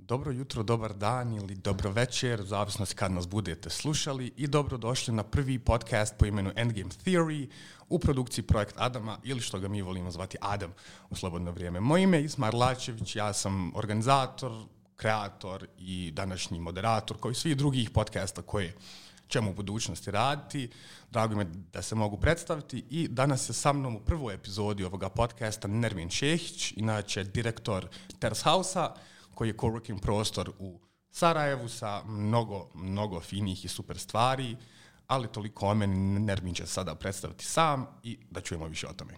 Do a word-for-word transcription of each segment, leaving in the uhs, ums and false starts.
Dobro jutro, dobar dan ili dobro večer, u zavisnosti kad nas budete slušali, i dobrodošli na prvi podcast po imenu Endgame Theory u produkciji Projekt Adama, ili što ga mi volimo zvati Adam u slobodno vrijeme. Moje ime je Ismar Lačević, ja sam organizator, kreator i današnji moderator, kao i svih drugih podcasta koje ćemo u budućnosti raditi. Drago mi je da se mogu predstaviti i danas je sa mnom u prvoj epizodi ovoga podcasta Nermin Šehić, inače direktor Terrace House-a, koji je coworking prostor u Sarajevu sa mnogo, mnogo finih i super stvari, ali toliko o meni. Nermin će sada predstaviti sam i da čujemo više o tome.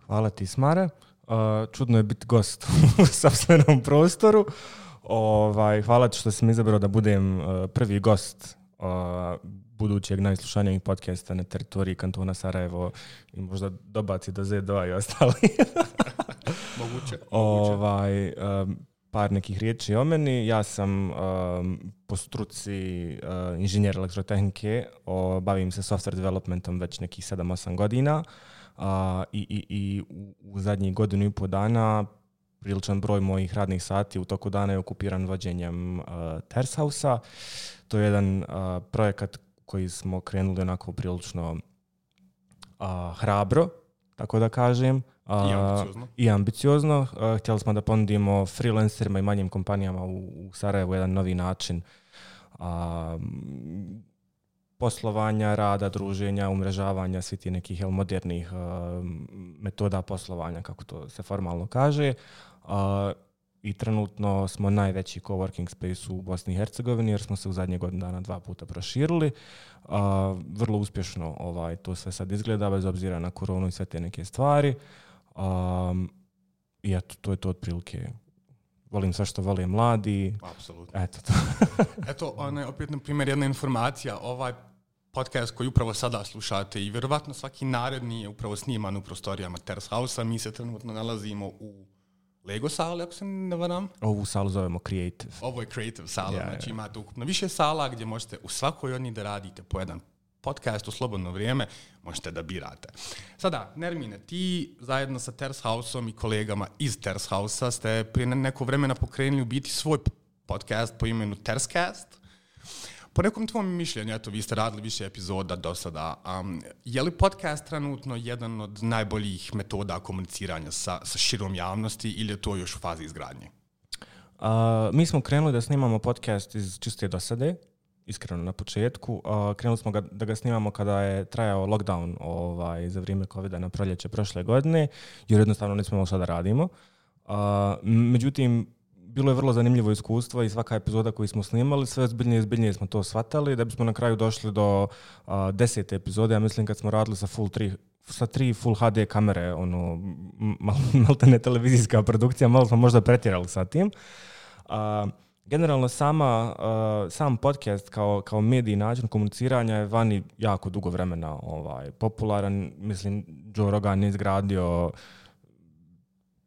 Hvala ti, Smare. Uh, čudno je biti gost u sopstvenom prostoru. Ovaj, hvala ti što si mi izabrao da budem uh, prvi gost uh, budućeg najslušanijeg podcasta na teritoriji kantona Sarajevo i možda dobaci do zet dva i ostali. Moguće. Ovaj, um, par nekih riječi o meni. Ja sam um, po struci uh, inženjer elektrotehnike, o, bavim se software developmentom već nekih sedam osam godina uh, i, i, i u, u zadnjih godinu i pol dana priličan broj mojih radnih sati u toku dana je okupiran vođenjem uh, Terrace House-a. To je jedan uh, projekat koji smo krenuli onako prilično uh, hrabro, tako da kažem. I ambiciozno. Uh, I ambiciozno. Uh, htjeli smo da ponudimo freelancerima i manjim kompanijama u, u Sarajevu jedan novi način uh, poslovanja, rada, druženja, umrežavanja, svi ti nekih jel, modernih uh, metoda poslovanja, kako to se formalno kaže. Uh, I trenutno smo najveći coworking space u Bosni i Hercegovini jer smo se u zadnje godine dana dva puta proširili. Uh, vrlo uspješno ovaj, to sve sad izgleda bez obzira na koronu i sve te neke stvari. Um, I eto, to je to otprilike. Volim sve što vole mladi. Apsolutno. Eto to. Eto, ona je opet, na primjer, jedna informacija. Ovaj podcast koji upravo sada slušate i vjerovatno svaki naredni je upravo sniman u prostorijama Terrace House-a. Mi se trenutno nalazimo u Lego sali, ako se ne varam. Ovu salu zovemo Creative. Ovo je Creative sala, yeah, znači yeah. imate ukupno više sala gdje možete u svakoj od njih da radite po jedan podcast u slobodno vrijeme, možete da birate. Sada, Nermine, ti zajedno sa Terrace House-om i kolegama iz Terrace House-a ste prije neko vremena pokrenuli u biti svoj podcast po imenu Terracecast. Po nekom tvom mišljenju, eto, vi ste radili više epizoda do sada. Um, je li podcast trenutno jedan od najboljih metoda komuniciranja sa, sa širom javnosti ili je to još u fazi izgradnje? Uh, mi smo krenuli da snimamo podcast iz čiste dosade, iskreno na početku. Uh, krenuli smo ga, da ga snimamo kada je trajao lockdown ovaj, za vrijeme covida na proljeće prošle godine, jer jednostavno nismo imali šta da radimo. Uh, međutim, bilo je vrlo zanimljivo iskustvo i svaka epizoda koju smo snimali, sve zbiljnije i zbiljnije smo to shvatali, da bismo na kraju došli do uh, desete epizode. Ja mislim kad smo radili sa full tri, sa tri full ha de kamere, ono, mal, maltene televizijska produkcija, malo smo možda pretjerali sa tim. Uh, generalno sama, uh, sam podcast kao, kao medij način komuniciranja je vani jako dugo vremena ovaj, popularan. Mislim, Joe Rogan je izgradio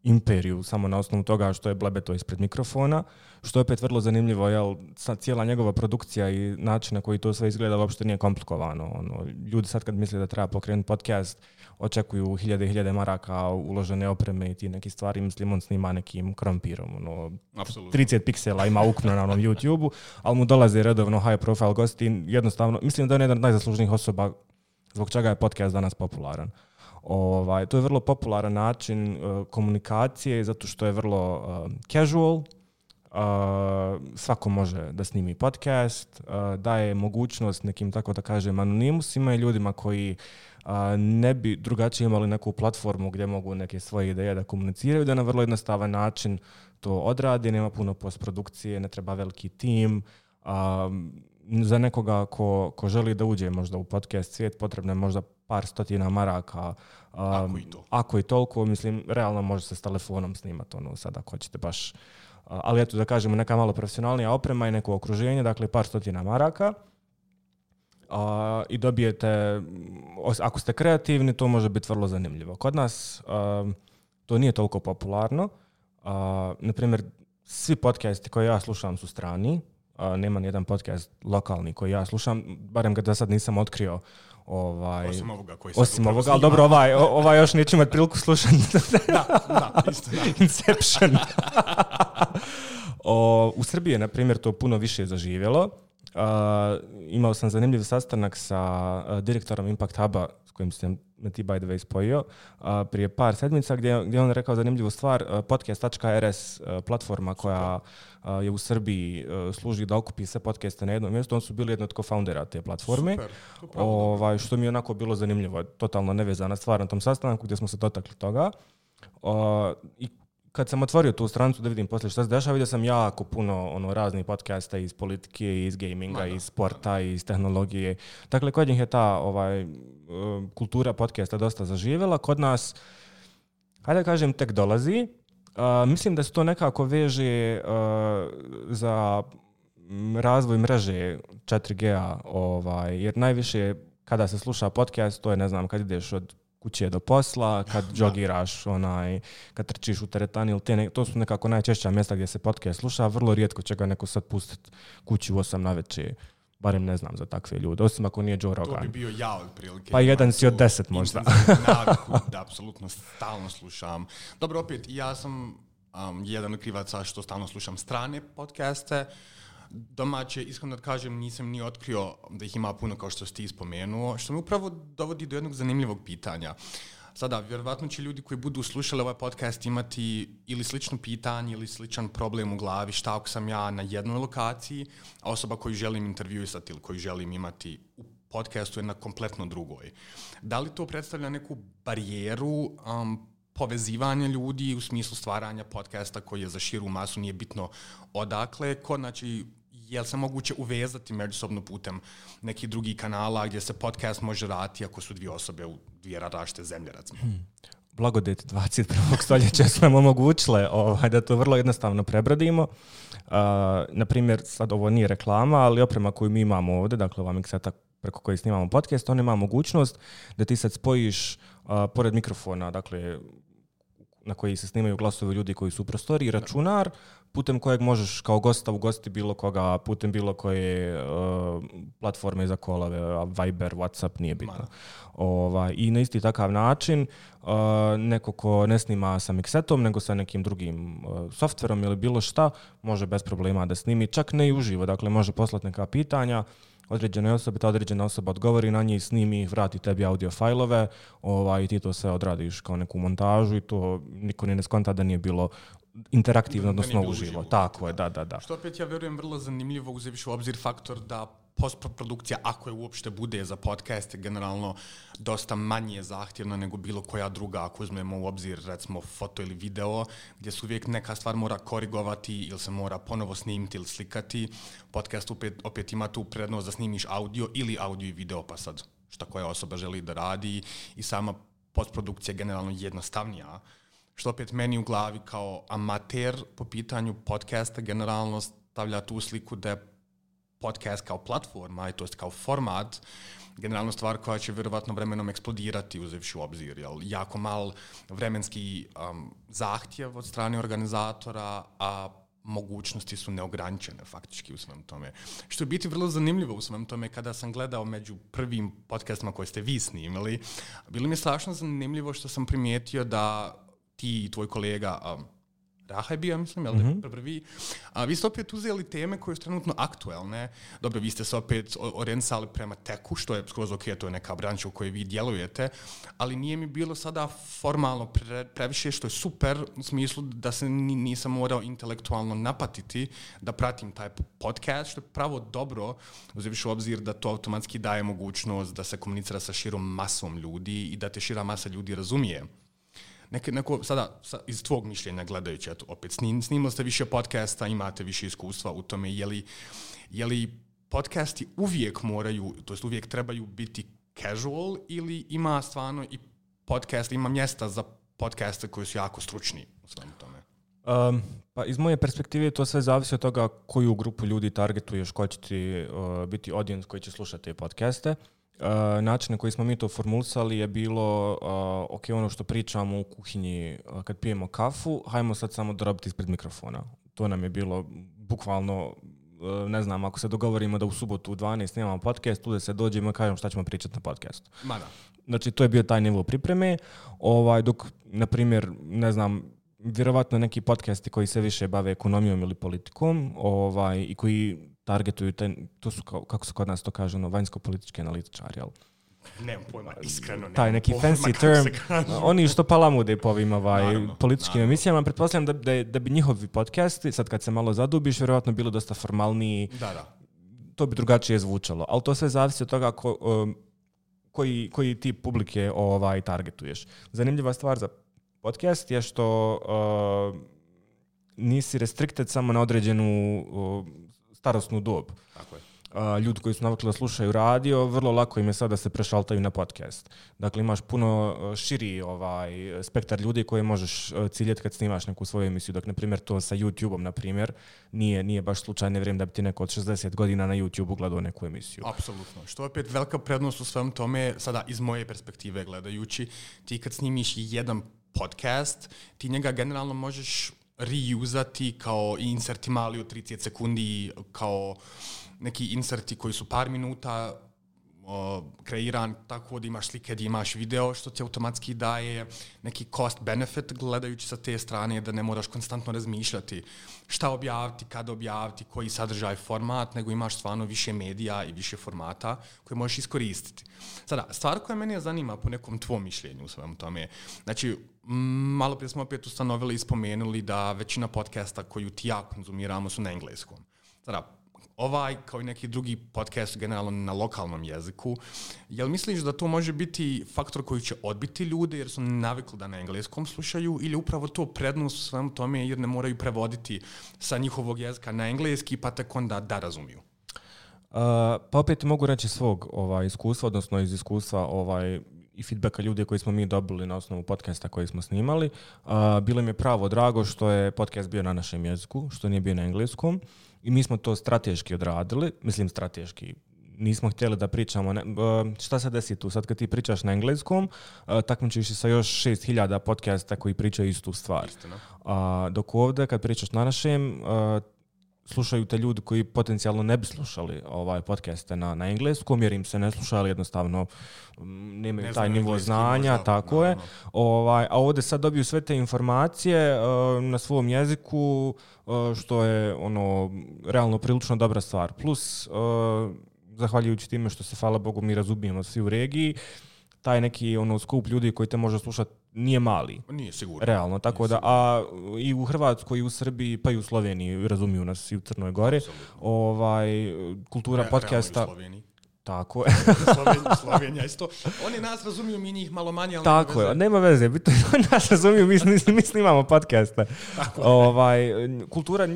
imperiju samo na osnovu toga što je blebeto ispred mikrofona, što je opet vrlo zanimljivo, jel, cijela njegova produkcija i način na koji to sve izgleda uopšte nije komplikovano. Ono, ljudi sad kad misle da treba pokrenuti podcast, očekuju hiljade i hiljade maraka uložene opreme i ti neki stvari, mislim on snima nekim krompirom. Ono, trideset piksela ima ukupno na onom YouTube-u, ali mu dolaze redovno high profile gosti. Jednostavno, mislim da je jedan od najzaslužnijih osoba zbog čega je podcast danas popularan. Ovaj, to je vrlo popularan način uh, komunikacije zato što je vrlo uh, casual. Uh, svako može da snimi podcast, uh, daje mogućnost nekim, tako da kažem, anonimusima i ljudima koji uh, ne bi drugačije imali neku platformu gdje mogu neke svoje ideje da komuniciraju, da na vrlo jednostavan način to odradi, nema puno postprodukcije, ne treba veliki tim. Uh, za nekoga ko, ko želi da uđe možda u podcast svijet, potrebno je možda par stotina maraka. Um, ako i to. Ako i toliko, mislim, realno može se s telefonom snimati, ono, sad ako hoćete baš. Uh, ali eto, da kažemo, neka malo profesionalnija oprema i neko okruženje, dakle par stotina maraka. Uh, I dobijete, ako ste kreativni, to može biti vrlo zanimljivo. Kod nas uh, to nije toliko popularno. Uh, naprimjer, svi podcasti koje ja slušam su strani. Uh, nema nijedan podcast lokalni koji ja slušam, barem ga da sad nisam otkrio. Ovaj, osim ovoga koji sad osim ovoga, ali dobro, ovaj, ovaj još neću imati priliku slušati. da, da, isto da. Inception. O, u Srbiji je, na primjer, to puno više zaživjelo. Uh, imao sam zanimljiv sastanak sa uh, direktorom Impact Huba, s kojim sam me ti by the way spojio, uh, prije par sedmica, gdje, gdje on rekao zanimljivu stvar. uh, podcast dot r s, uh, platforma koja uh, je u Srbiji uh, služi da okupi sve podcaste na jednom mjestu. On su bili jedno od co-foundera te platforme. Super, ovaj, što mi je onako bilo zanimljivo. Totalno nevezana stvar na tom sastanku gdje smo se dotakli toga. Uh, I kad sam otvorio tu stranicu da vidim poslije šta se dešava, vidio sam jako puno ono, raznih podcasta iz politike, iz gaminga, Mada. iz sporta, iz tehnologije. Dakle, kod njih je ta ovaj, kultura podcasta dosta zaživjela. Kod nas, hajde da kažem, tek dolazi. Uh, mislim da se to nekako veže uh, za razvoj mreže četiri G a, ovaj, jer najviše kada se sluša podcast, to je, ne znam, kad ideš od kuće do posla, kad džogiraš, onaj, kad trčiš u teretani, ili te ne, to su nekako najčešća mjesta gdje se podcast sluša. Vrlo rijetko će ga neko sad pustiti kući u osam navečer. Barem ne znam za takve ljude, osim ako nije Joe Rogan. To bi bio ja otprilike. Pa jedan si od deset možda. Naviku, da, apsolutno stalno slušam. Dobro, opet, ja sam um, jedan od krivaca što stalno slušam strane podcaste. Domaće, iskreno da kažem, nisam ni otkrio da ih ima puno kao što si ti spomenuo, što me upravo dovodi do jednog zanimljivog pitanja. Sada, vjerovatno će ljudi koji budu slušali ovaj podcast imati ili slično pitanje ili sličan problem u glavi, šta ako sam ja na jednoj lokaciji, a osoba koju želim intervjuisati ili koju želim imati u podcastu je na kompletno drugoj. Da li to predstavlja neku barijeru um, povezivanja ljudi u smislu stvaranja podcasta koji je za širu masu, nije bitno odakle, ko, znači, je li se moguće uvezati međusobno putem nekih drugih kanala gdje se podcast može raditi ako su dvije osobe u dvije različite zemlje, recimo? Hmm. Blagodeti dvadeset prvog stoljeća su nam omogućile ovaj, da to vrlo jednostavno prebrodimo. Uh, na primjer, sad ovo nije reklama, ali oprema koju mi imamo ovdje, dakle ova mikseta preko koje snimamo podcast, on ima mogućnost da ti sad spojiš uh, pored mikrofona, dakle na koji se snimaju glasovi ljudi koji su u prostoriji, računar putem kojeg možeš kao gosta ugostiti bilo koga, putem bilo koje uh, platforme za kolove, Viber, WhatsApp, nije bitno. Ovaj, I na isti takav način uh, neko ko ne snima sa miksetom, nego sa nekim drugim uh, softverom ili bilo šta, može bez problema da snimi, čak ne i uživo, dakle može poslati neka pitanja određene osobe, ta određena osoba odgovori na njih, snimi ih, vrati tebi audio fajlove, ovaj, i ti to sve odradiš kao neku montažu i to niko ne skonta da nije bilo interaktivno, odnosno uživo. uživo. Tako je, da, da, da. Što opet ja vjerujem vrlo zanimljivo uzevši u obzir faktor da postprodukcija, ako je uopšte bude za podcast, je generalno dosta manje zahtjevna nego bilo koja druga, ako uzmemo u obzir recimo foto ili video, gdje se uvijek neka stvar mora korigovati ili se mora ponovo snimiti ili slikati. Podcast opet, opet ima tu prednost da snimiš audio ili audio i video, pa sad šta koja osoba želi da radi, i sama postprodukcija je generalno jednostavnija. Što opet meni u glavi kao amater po pitanju podcasta generalno stavlja tu sliku da je podcast kao platforma, to jest kao format, generalno stvar koja će vjerovatno vremenom eksplodirati uzevši u obzir. Jel, jako mal vremenski um, zahtjev od strane organizatora, a mogućnosti su neograničene faktički u svem tome. Što je biti vrlo zanimljivo u svem tome, kada sam gledao među prvim podcastima koje ste vi snimili, bilo mi je strašno zanimljivo što sam primijetio da ti i tvoj kolega um, Raha je bio, mislim, jel mm-hmm. da prvi. A vi ste opet uzeli teme koje su trenutno aktuelne. Dobro, vi ste se opet orijentisali prema teku, što je skroz ok, to je neka branša u kojoj vi djelujete, ali nije mi bilo sada formalno pre, previše, što je super, u smislu da se nisam morao intelektualno napatiti da pratim taj podcast, što je pravo dobro, uzevši u obzir da to automatski daje mogućnost da se komunicira sa širom masom ljudi i da te šira masa ljudi razumije. Neko, neko, sada, iz tvog mišljenja gledajući, eto, opet snim, snimali ste više podcasta, imate više iskustva u tome, je li, je li podcasti uvijek moraju, to jest uvijek trebaju biti casual, ili ima stvarno i podcast, ima mjesta za podcaste koji su jako stručni u svemu tome? Um, pa iz moje perspektive to sve zavisi od toga koju grupu ljudi targetuješ, ko će ti uh, biti audience koji će slušati te podcaste. Uh, način na koji smo mi to formulisali je bilo uh, ok, ono što pričamo u kuhinji uh, kad pijemo kafu, hajmo sad samo drobiti ispred mikrofona. To nam je bilo bukvalno, uh, ne znam, ako se dogovorimo da u subotu u dvanaest snimamo podcast, tu da se dođemo i kažemo šta ćemo pričati na podcastu. Mada. Znači, to je bio taj nivo pripreme, ovaj, dok, na primjer, ne znam, vjerovatno neki podcasti koji se više bave ekonomijom ili politikom, ovaj, i koji targetuju, te, to su, kao, kako se kod nas to kaže, ono, vanjsko-politički analitičari, jel? Nemam pojma, iskreno nemam taj neki pojma, fancy term, oni što palamude po ovim ovaj, naravno, političkim naravno. emisijama, pretpostavljam da, da, da bi njihovi podcasti, sad kad se malo zadubiš, vjerovatno bilo dosta formalniji, Da, da. to bi drugačije zvučalo, ali to sve zavisi od toga ko, um, koji, koji tip publike ovaj, targetuješ. Zanimljiva stvar za podcast je što uh, nisi restricted samo na određenu uh, starosnu dob. Tako je. Uh, ljudi koji su navikli da slušaju radio, vrlo lako im je sad da se prešaltaju na podcast. Dakle, imaš puno širi ovaj, spektar ljudi koje možeš ciljeti kad snimaš neku svoju emisiju. Dok, na primjer, to sa YouTubeom, na primjer, nije, nije baš slučajno vrijeme da bi ti neko od šezdeset godina na YouTubeu gledao neku emisiju. Apsolutno. Što je opet velika prednost u svem tome, sada iz moje perspektive gledajući, ti kad snimiš jedan podcast, ti njega generalno možeš reusati kao inserti mali od trideset sekundi, kao neki inserti koji su par minuta o, kreiran tako da imaš slike, da imaš video, što ti automatski daje neki cost benefit gledajući sa te strane, da ne moraš konstantno razmišljati šta objaviti, kada objaviti, koji sadržaj, format, nego imaš stvarno više medija i više formata koje možeš iskoristiti. Sada, stvar koja mene zanima po nekom tvom mišljenju u svemu tome, znači, malo prije smo opet ustanovili i spomenuli da većina podcasta koju ti ja konzumiramo su na engleskom. Sada, ovaj, kao i neki drugi podcast generalno na lokalnom jeziku, jel misliš da to može biti faktor koji će odbiti ljude jer su navikli da na engleskom slušaju, ili upravo to prednost u svemu tome jer ne moraju prevoditi sa njihovog jezika na engleski pa tek onda da razumiju? Uh, pa opet mogu reći svog ovaj, iskustva, odnosno iz iskustva ovaj, i feedbacka ljudi koji smo mi dobili na osnovu podcasta koji smo snimali. Uh, bilo mi je pravo drago što je podcast bio na našem jeziku, što nije bio na engleskom. I mi smo to strateški odradili, mislim strateški, nismo htjeli da pričamo, ne, uh, šta se desi tu, sad kad ti pričaš na engleskom, uh, takmičiš se sa još šest hiljada podcasta koji pričaju istu stvar. Uh, dok ovdje kad pričaš na našem, uh, slušaju te ljudi koji potencijalno ne bi slušali ovaj podcaste na, na engleskom, jer im se ne slušali, jednostavno nemaju ne taj nivo znanja, možda, tako no, je. no. Ovaj, a ovdje sad dobiju sve te informacije uh, na svom jeziku, uh, što je ono realno prilično dobra stvar. Plus, uh, zahvaljujući time što se, hvala Bogu, mi razumijemo svi u regiji, taj neki ono skup ljudi koji te može slušati nije mali. Nije sigurno. Realno, tako nije da, sigurno. a i u Hrvatskoj, i u Srbiji, pa i u Sloveniji, razumiju nas i u Crnoj Gori. Ovaj, kultura Re, podcasta... Tako je. Slovenija, Slovenija isto. Oni nas razumiju, mi njih malo manje, ali tako nema je, nema veze. Bitno je da nas razumiju, mi, mi snimamo podcaste. Ovaj, kultura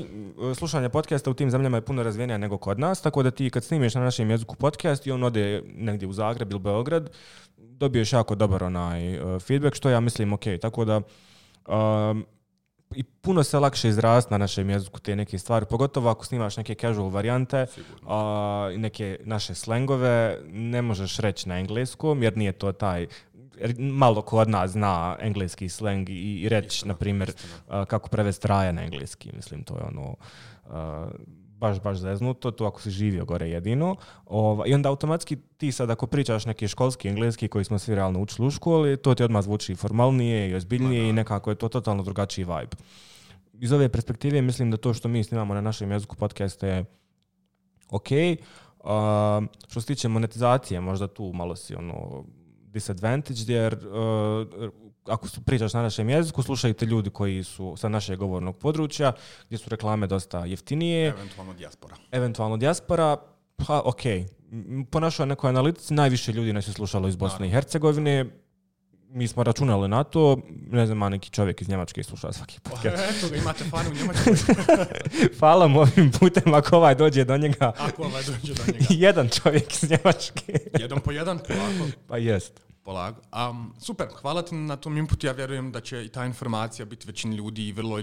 slušanja podcasta u tim zemljama je puno razvijenija nego kod nas, tako da ti kad snimiš na našem jeziku podcast i on ode negdje u Zagreb ili Beograd, dobiješ jako dobar onaj uh, feedback, što ja mislim ok. Tako da um, i puno se lakše izrasti na našem jeziku te neke stvari, pogotovo ako snimaš neke casual varijante, a, neke naše slengove, ne možeš reći na engleskom, jer nije to taj, malo ko od nas zna engleski sleng i, i reći, na primjer, a, kako prevesti raja na engleski, mislim, to je ono... A, baš, baš zeznuto, to ako si živio gore jedino. Ova, I onda automatski ti sad ako pričaš neki školski engleski koji smo svi realno učili u školi, to ti odmah zvuči formalnije i ozbiljnije Ma, i nekako je to totalno drugačiji vibe. Iz ove perspektive mislim da to što mi snimamo na našem jeziku podcast je ok. Uh, što se tiče monetizacije, možda tu malo si ono disadvantage, jer uh, ako pričaš na našem jeziku, slušaju te ljudi koji su sa našeg govornog područja, gdje su reklame dosta jeftinije. Eventualno dijaspora. Eventualno dijaspora, pa ok. Po našoj nekoj analitici najviše ljudi nas je slušalo iz Bosne i Hercegovine. Mi smo računali na to, ne znam, a neki čovjek iz Njemačke sluša svaki podcast. Eto ga, imate fan u Njemačkoj. Hvala mu ovim putem ako ovaj dođe do njega. Ako ovaj dođe do njega. Jedan čovjek iz Njemačke. Jedan po jedan, polako. Pa jest. Polako. Um, super, hvala ti na tom inputu. Ja vjerujem da će i ta informacija biti većini ljudi vrlo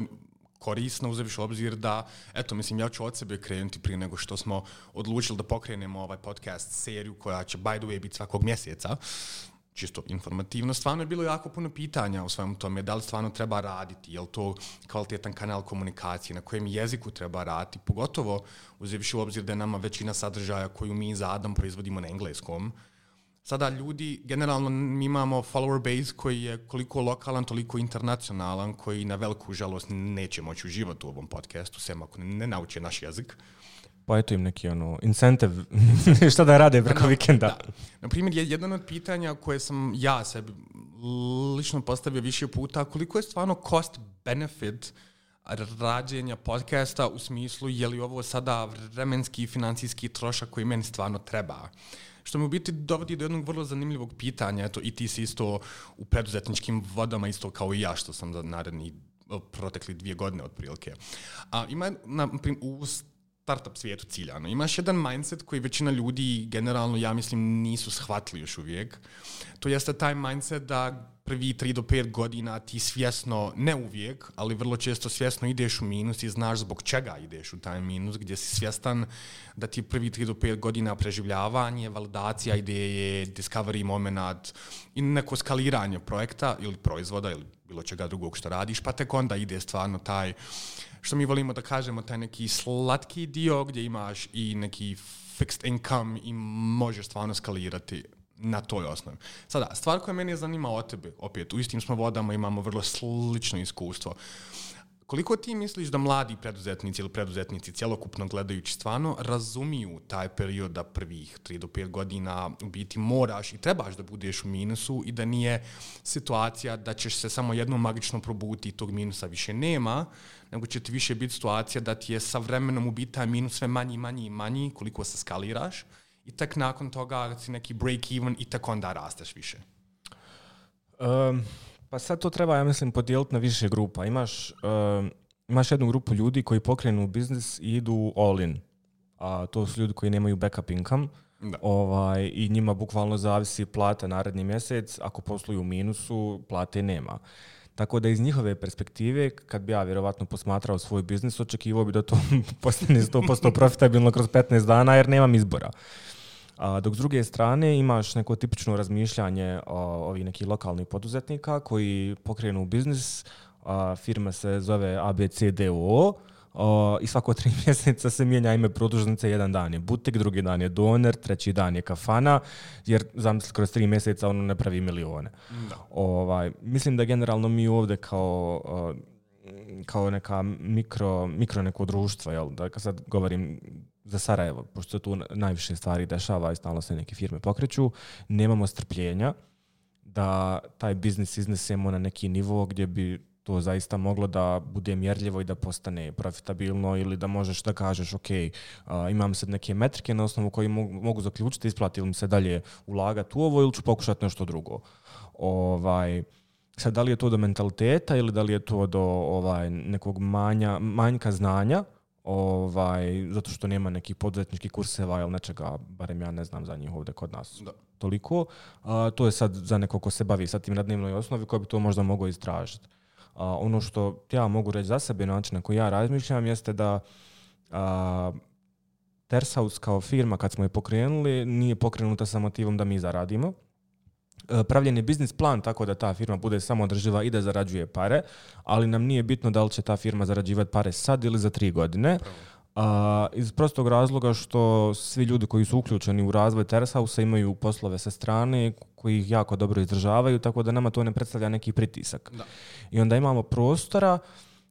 korisna, uzevši obzir da, eto, mislim, ja ću od sebe krenuti prije nego što smo odlučili da pokrenemo ovaj podcast seriju koja će, by the way, biti svakog mjeseca. Čisto informativno. Stvarno je bilo jako puno pitanja u svemu tome. Da li stvarno treba raditi? Je li to kvalitetan kanal komunikacije? Na kojem jeziku treba raditi? Pogotovo uzevši u obzir da je nama većina sadržaja koju mi za Adam proizvodimo na engleskom. sada ljudi, generalno mi imamo follower base koji je koliko lokalan, toliko internacionalan, koji na veliku žalost neće moći uživati u ovom podcastu, sem ako ne nauče naš jezik. Pa eto im neki ono, incentive, šta da rade preko da, vikenda. Da. Na primjer, jedan od pitanja koje sam ja sebi lično postavio više puta, koliko je stvarno cost benefit rađenja podcasta u smislu je li ovo sada vremenski i financijski trošak koji meni stvarno treba. Što me u biti dovodi do jednog vrlo zanimljivog pitanja, eto i ti si isto u preduzetničkim vodama, isto kao i ja što sam za naredni protekli dvije godine otprilike. A ima na primjer, u startup svijetu ciljano. Imaš jedan mindset koji većina ljudi generalno, ja mislim, nisu shvatili još uvijek. To jeste taj mindset da prvi tri do pet godina ti svjesno, ne uvijek, ali vrlo često svjesno ideš u minus i znaš zbog čega ideš u taj minus, gdje si svjestan da ti prvi tri do pet godina preživljavanje, validacija ideje, discovery moment i neko skaliranje projekta ili proizvoda ili bilo čega drugog što radiš, pa tek onda ide stvarno taj, što mi volimo da kažemo, taj neki slatki dio gdje imaš i neki fixed income i možeš stvarno skalirati na toj osnovi. Sada, stvar koja meni zanima o tebe, opet, u istim smo vodama, imamo vrlo slično iskustvo. Koliko ti misliš da mladi preduzetnici ili preduzetnici cjelokupno gledajući stvarno razumiju taj period da prvih tri do pet godina u biti moraš i trebaš da budeš u minusu i da nije situacija da ćeš se samo jednom magično probuti i tog minusa više nema, nego će ti više biti situacija da ti je sa vremenom u biti taj minus sve manji, manji i manji koliko se skaliraš i tek nakon toga si neki break even i tek onda rasteš više. Um. Pa sad to treba, ja mislim, podijeliti na više grupa. Imaš, uh, imaš jednu grupu ljudi koji pokrenu biznis i idu all in. A to su ljudi koji nemaju backup income. Ovaj, i njima bukvalno zavisi plata naredni mjesec. Ako posluju u minusu, plate nema. Tako da iz njihove perspektive, kad bi ja vjerovatno posmatrao svoj biznis, očekivao bi da to postane sto posto profitabilno kroz petnaest dana jer nemam izbora. A dok s druge strane imaš neko tipično razmišljanje o, ovih nekih lokalnih poduzetnika koji pokrenu biznis, a, firma se zove A B C D O O i svako tri mjeseca se mijenja ime produžnice, jedan dan je butik, drugi dan je doner, treći dan je kafana, jer zamisli kroz tri mjeseca ono ne pravi milione. Da. Ovaj, mislim da generalno mi ovdje kao... kao neka mikro, mikro neko društvo, jel? Da kad sad govorim za Sarajevo, pošto se tu najviše stvari dešava i stalno se neke firme pokreću, nemamo strpljenja da taj biznis iznesemo na neki nivo gdje bi to zaista moglo da bude mjerljivo i da postane profitabilno ili da možeš da kažeš ok, uh, imam sad neke metrike na osnovu koji mogu, mogu zaključiti, isplati ili mi se dalje ulagati u ovo ili ću pokušati nešto drugo. Ovaj... Sad, da li je to do mentaliteta ili da li je to do ovaj, nekog manja, manjka znanja, ovaj, zato što nema nekih poduzetničkih kurseva ili nečega, barem ja ne znam za njih ovdje kod nas. Da. Toliko. A, to je sad za nekog ko se bavi sa tim na dnevnoj osnovi koji bi to možda mogao istražiti. A, ono što ja mogu reći za sebe, način na koji ja razmišljam, jeste da a, Tersaus kao firma, kad smo je pokrenuli, nije pokrenuta sa motivom da mi zaradimo. Pravljen je biznis plan tako da ta firma bude samo održiva i da zarađuje pare, ali nam nije bitno da li će ta firma zarađivati pare sad ili za tri godine. A, iz prostog razloga što svi ljudi koji su uključeni u razvoj Tersausa imaju poslove sa strane koji ih jako dobro izdržavaju, tako da nama to ne predstavlja neki pritisak. Da. I onda imamo prostora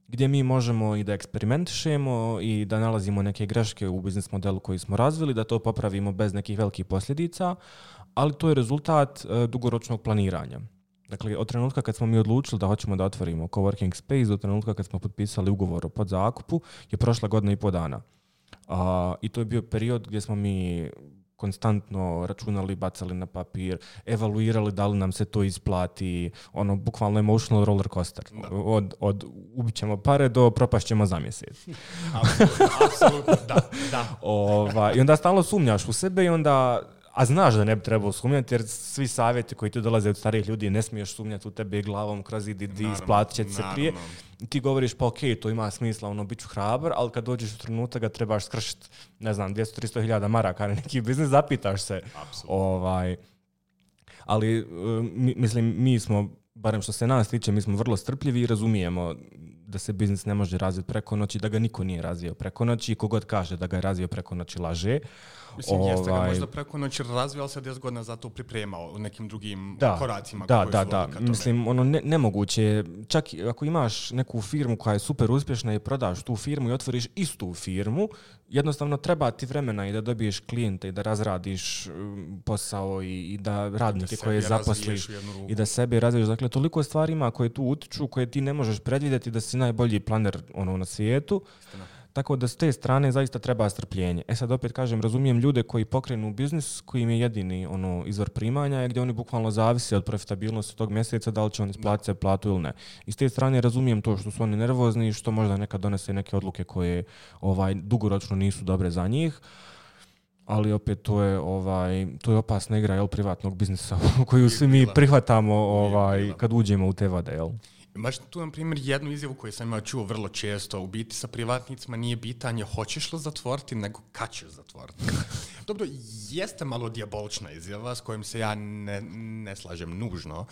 gdje mi možemo i da eksperimentišemo i da nalazimo neke greške u biznis modelu koji smo razvili, da to popravimo bez nekih velikih posljedica, ali to je rezultat uh, dugoročnog planiranja. Dakle, od trenutka kad smo mi odlučili da hoćemo da otvorimo coworking space, do trenutka kad smo potpisali ugovor o podzakupu, je prošla godina i po dana. Uh, I to je bio period gdje smo mi konstantno računali, bacali na papir, evaluirali da li nam se to isplati, ono, bukvalno emotional roller coaster. Od, od ubit ćemo pare do propast ćemo za mjesec. Apsolutno, apsolutno, da, da. Ova, I onda stalno sumnjaš u sebe i onda, a znaš da ne bi trebalo sumnjati, jer svi savjeti koji ti dolaze od starijih ljudi, ne smiješ sumnjati u tebe glavom kroz idi, di, isplatit će ti se prije. Ti govoriš, pa ok, to ima smisla, ono, bit ću hrabar, ali kad dođeš u trenutak ga trebaš skršiti, ne znam, dvjesto do tristo hiljada maraka na neki biznis, zapitaš se. Ovaj, ali, mi, mislim, mi smo, barem što se nas tiče, mi smo vrlo strpljivi i razumijemo da se biznis ne može razviti preko noći, da ga niko nije razvio preko noći i kogod kaže da ga je razvio preko noći laže. Mislim, ovaj... jeste ga možda preko noći razvio, ali se deset godina za to pripremao u nekim drugim da, koracima. Da, da, da. Mislim, ono, ne, nemoguće je, čak ako imaš neku firmu koja je super uspješna i prodaš tu firmu i otvoriš istu firmu, jednostavno treba ti vremena i da dobiješ klijente i da razradiš posao i, i da radnike da koje zaposliš i da sebe razviješ. Dakle, toliko stvari ima koje tu utiču, koje ti ne možeš predvidjeti da si najbolji planer ono, na svijetu. Istina. Tako da s te strane zaista treba strpljenje. E sad opet kažem, razumijem ljude koji pokrenu biznis, koji im je jedini ono, izvor primanja, gdje oni bukvalno zavise od profitabilnosti tog mjeseca, da li će on isplatiti se platu ili ne. I s te strane razumijem to što su oni nervozni i što možda nekad donese neke odluke koje ovaj, dugoročno nisu dobre za njih. Ali opet to je, ovaj, to je opasna igra jel, privatnog biznisa koju svi mi prihvatamo ovaj, kad uđemo u te vode. Jel? Baš tu, na primjer, jednu izjavu koju sam imao čuo vrlo često, u biti sa privatnicima nije pitanje hoćeš li zatvoriti, nego kad ćeš zatvoriti. Dobro, jeste malo dijabolična izjava s kojom se ja ne, ne slažem nužno.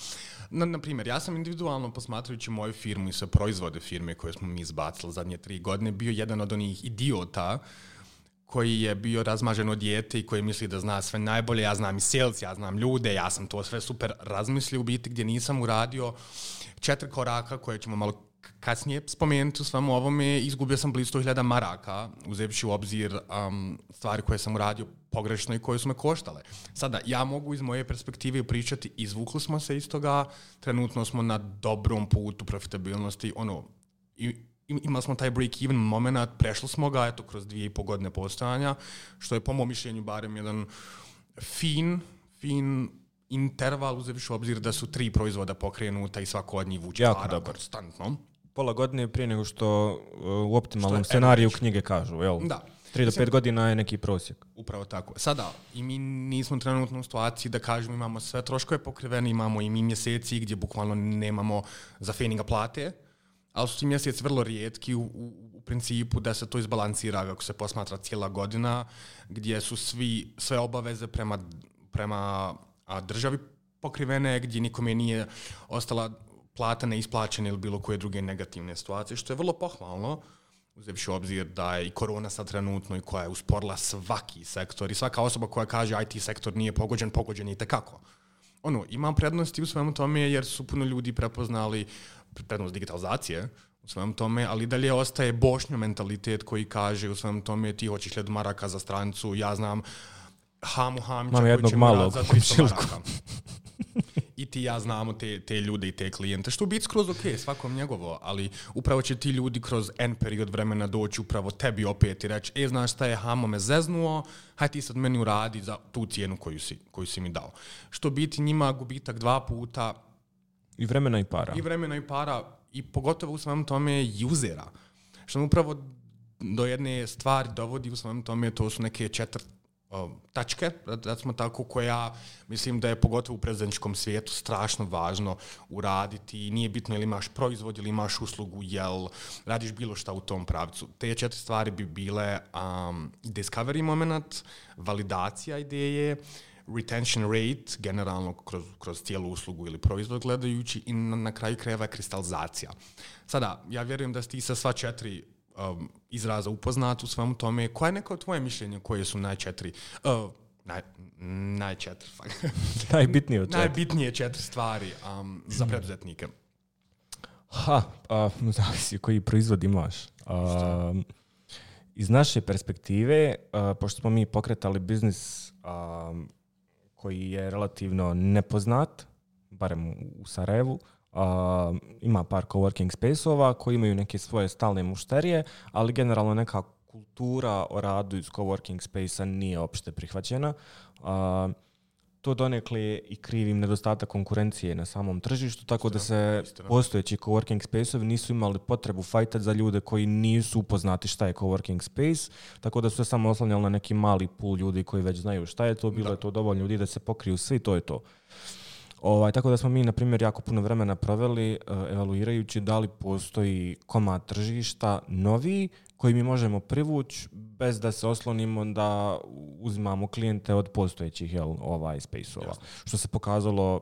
Na, na primjer, ja sam individualno posmatrajući moju firmu i sve proizvode firme koje smo mi izbacili zadnje tri godine bio jedan od onih idiota koji je bio razmaženo dijete i koji misli da zna sve najbolje. Ja znam i sales, ja znam ljude, ja sam to sve super razmislio u biti gdje nisam uradio četiri koraka koje ćemo malo kasnije spomenuti u svemu ovome. Izgubio sam blizu sto hiljada maraka, uzevši u obzir um, stvari koje sam uradio pogrešno i koje su me koštale. Sada, ja mogu iz moje perspektive pričati, izvukli smo se iz toga, trenutno smo na dobrom putu profitabilnosti, ono, i imali smo taj break-even moment, prešli smo ga, eto, kroz dvije i po godine postojanja, što je po mom mišljenju barem jedan fin, fin interval, uzevši u obzir da su tri proizvoda pokrenuta i svako od njih vuče para konstantno. Pola godine prije nego što u optimalnom scenariju knjige kažu, jel? Da. Tri do pet godina je neki prosjek. Upravo tako. Sada, i mi nismo trenutno u situaciji da kažemo imamo sve troškove pokrivene, imamo i mi mjeseci gdje bukvalno nemamo za feninga plate, ali su ti mjeseci vrlo rijetki u, u, u principu da se to izbalansira ako se posmatra cijela godina, gdje su svi, sve obaveze prema, prema a, državi pokrivene, gdje nikome nije ostala plata neisplaćena ili bilo koje druge negativne situacije, što je vrlo pohvalno, uzevši u obzir da je i korona sad trenutno i koja je usporila svaki sektor i svaka osoba koja kaže I T sektor nije pogođen, pogođen je itekako. Ono, ima prednosti u svemu tome jer su puno ljudi prepoznali prednost digitalizacije u svemu tome, ali dalje ostaje bošnjo mentalitet koji kaže u svemu tome ti hoćeš hiljadu maraka za stranicu, ja znam Hamu Hamića koji će mi za tristo maraka. I ti ja znamo te, te ljude i te klijente, što u biti skroz ok, svakom njegovo, ali upravo će ti ljudi kroz N period vremena doći upravo tebi opet i reći, e, znaš šta je, Hamo me zeznuo, haj ti sad meni uradi za tu cijenu koju si, koju si mi dao. Što biti njima gubitak dva puta. I vremena i para. I vremena i para, i pogotovo u svemu tome usera. Što nam upravo do jedne stvari dovodi u svemu tome, to su neke četiri tačke, da smo tako, koja mislim da je pogotovo u predsjedničkom svijetu strašno važno uraditi. Nije bitno ili imaš proizvod ili imaš uslugu, jel radiš bilo šta u tom pravcu. Te četiri stvari bi bile um, discovery moment, validacija ideje, retention rate, generalno kroz, kroz cijelu uslugu ili proizvod gledajući, i na, na kraju krajeva kristalizacija. Sada, ja vjerujem da ste i sa sva četiri Um, izraza upoznat u svemu tome. Koje je neko tvoje mišljenje koje su najčetiri, uh, naj, najčetiri, najbitnije četiri. najbitnije četiri stvari um, za preduzetnike? Ha, uh, zavisi koji proizvod imaš. Uh, iz naše perspektive, uh, pošto smo mi pokretali biznis uh, koji je relativno nepoznat, barem u Sarajevu, Uh, ima par coworking space-ova koji imaju neke svoje stalne mušterije, ali generalno neka kultura o radu iz coworking space-a nije opšte prihvaćena. Uh, to donekle i krivim nedostatak konkurencije na samom tržištu, tako da se postojeći coworking space-ovi nisu imali potrebu fajtati za ljude koji nisu upoznati šta je coworking space, tako da su se samo oslanjali na neki mali pool ljudi koji već znaju šta je to, bilo da. Je to dovoljno ljudi da se pokriju svi, to je to. Ovaj, tako da smo mi, na primjer, jako puno vremena proveli uh, evaluirajući da li postoji komad tržišta novi koji mi možemo privući bez da se oslonimo da uzimamo klijente od postojećih jel, ovaj, space-ova. Jasne. Što se pokazalo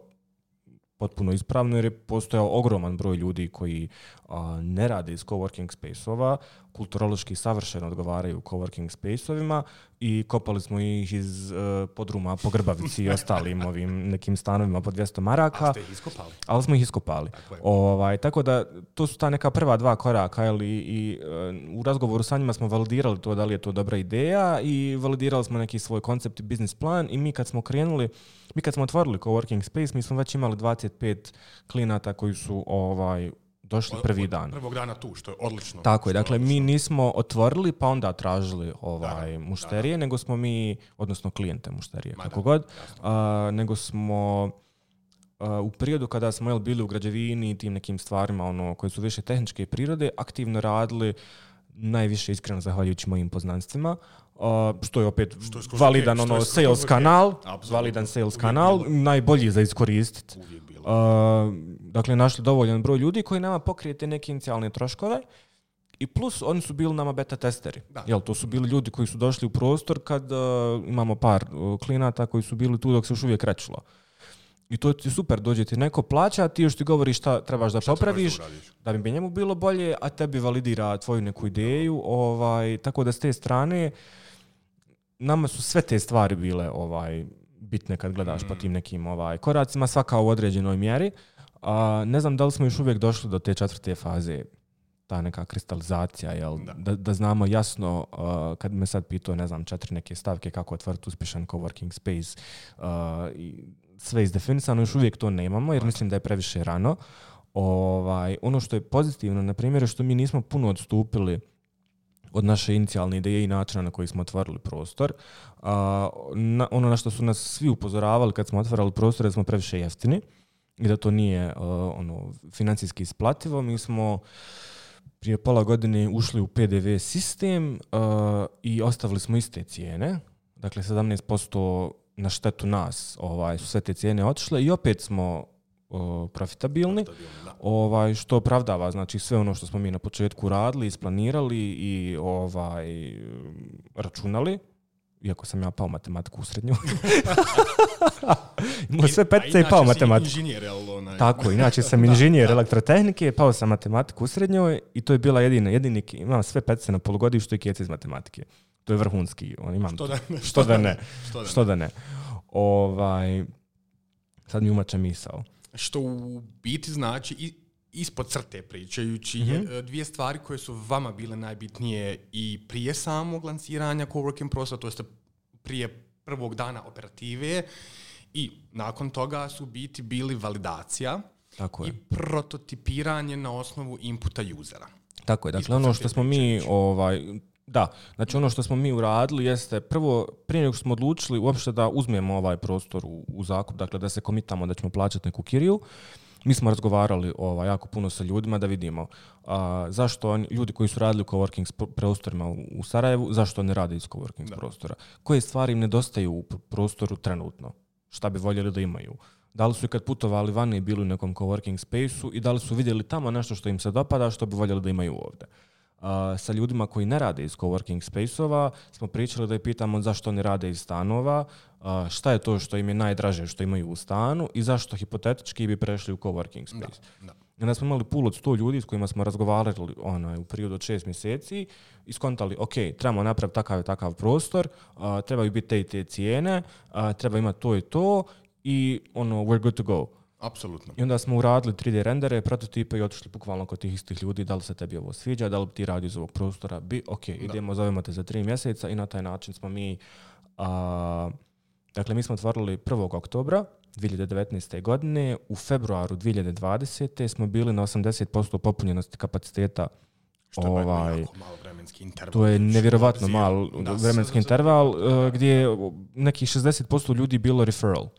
potpuno ispravno jer je postojao ogroman broj ljudi koji a, ne rade iz coworking space-ova, kulturološki savršeno odgovaraju coworking space-ovima i kopali smo ih iz uh, podruma po Grbavici i ostalim ovim nekim stanovima po dvjesto maraka. Ali ste ih iskopali? Ali smo ih iskopali. Tako, ovaj, tako da to su ta neka prva dva koraka jel, i, i uh, u razgovoru sa njima smo validirali to da li je to dobra ideja i validirali smo neki svoj koncept i biznis plan i mi kad smo krenuli, mi kad smo otvorili coworking space, mi smo već imali dvadeset pet klijenata koji su ovaj, došli prvi dan. Prvog dana tu, što je odlično. Tako je, dakle mi nismo otvorili pa onda tražili ovaj, da, mušterije, da, da. nego smo mi, odnosno klijente mušterije, Ma kako da, god, a, nego smo a, u periodu kada smo jel, bili u građevini i tim nekim stvarima ono, koje su više tehničke prirode, aktivno radili najviše iskreno zahvaljujući mojim poznanstvima, uh, što je opet što je validan okay, ono, je sales kanal, Absolutno. validan sales Uvijek kanal, bilo. najbolji za iskoristiti. Uh, dakle, našli dovoljan broj ljudi koji nama pokrije te neke inicijalne troškove i plus oni su bili nama beta testeri. Jel, to su bili ljudi koji su došli u prostor kad uh, imamo par uh, klijenata koji su bili tu dok se još uvijek krećilo. I to ti super, dođe ti neko plaća, ti još ti govori šta trebaš da šta popraviš, trebaš da, da bi njemu bilo bolje, a tebi validira tvoju neku ideju. Ovaj, tako da s te strane, nama su sve te stvari bile ovaj, bitne kad gledaš mm. po tim nekim ovaj, koracima, svaka u određenoj mjeri. A, ne znam da li smo još uvijek došli do te četvrte faze, ta neka kristalizacija, jel? Da. Da, da znamo jasno, uh, kad me sad pitao, ne znam, četiri neke stavke kako otvoriti uspješan coworking space, uh, i sve izdefinisano, još uvijek to nemamo, jer mislim da je previše rano. Ovaj, ono što je pozitivno, na primjer, je što mi nismo puno odstupili od naše inicijalne ideje i načina na koji smo otvorili prostor. Uh, na, ono na što su nas svi upozoravali kad smo otvarali prostor, da smo previše jeftini i da to nije uh, ono, financijski isplativo. Mi smo prije pola godine ušli u P D V sistem uh, i ostavili smo iste cijene. Dakle, sedamnaest posto na štetu nas ovaj, su sve te cijene otišle i opet smo uh, profitabilni, ovaj, što opravdava znači, sve ono što smo mi na početku radili, isplanirali i ovaj, računali. Iako sam ja pao matematiku u srednju. Imao sve petice i pao matematiku. Inženjer, onaj. Tako, inače sam inženjer da, elektrotehnike, pao sam matematiku u srednjoj i to je bila jedina, jedini, imam sve petice na polugodištu i kjece iz matematike. To je vrhunski. On, imam što, da, što, što da ne. Što da ne. Što da ne. Ovaj, sad mi umače misao. Što u biti znači i ispod crte pričajući, mm-hmm. je dvije stvari koje su vama bile najbitnije i prije samog lanciranja coworking prostora, to jest prije prvog dana operative i nakon toga su biti bili validacija Tako je. i prototipiranje na osnovu inputa usera. Tako je, dakle ispod ono što smo mi ovaj, da, znači ono što smo mi uradili jeste prvo, prije nego što smo odlučili uopšte da uzmemo ovaj prostor u, u zakup, dakle da se komitamo da ćemo plaćati neku kiriju, mi smo razgovarali ovaj, jako puno sa ljudima da vidimo a, zašto oni, ljudi koji su radili u coworking prostorima u, u Sarajevu, zašto ne rade iz coworking da. prostora. Koje stvari im nedostaju u prostoru trenutno? Šta bi voljeli da imaju? Da li su i kad putovali vani i bili u nekom coworking spaceu i da li su vidjeli tamo nešto što im se dopada, što bi voljeli da imaju ovdje? Uh, sa ljudima koji ne rade iz coworking space-ova smo pričali da je pitamo zašto ne rade iz stanova, uh, šta je to što im je najdraže što imaju u stanu i zašto hipotetički bi prešli u coworking space. Da, da. I onda smo imali pool od sto ljudi s kojima smo razgovarali onaj, u periodu od šest mjeseci i skontali, ok, trebamo napraviti takav i takav prostor, uh, trebaju biti te i te cijene, uh, treba imati to i to i ono, we're good to go. Apsolutno. I onda smo uradili tri D rendere, prototipe i otišli bukvalno kod tih istih ljudi, da li se tebi ovo sviđa, da li ti radi iz ovog prostora, bi, ok, da. idemo, zovemo te za tri mjeseca i na taj način smo mi, a, dakle mi smo otvorili prvog oktobra dvije hiljade devetnaeste. godine, u februaru dvije hiljade dvadesete. smo bili na osamdeset posto popunjenosti kapaciteta. Što je ovaj, jako malo vremenski interval. To je nevjerovatno mal vremenski interval, uh, gdje je nekih šezdeset posto ljudi bilo referral.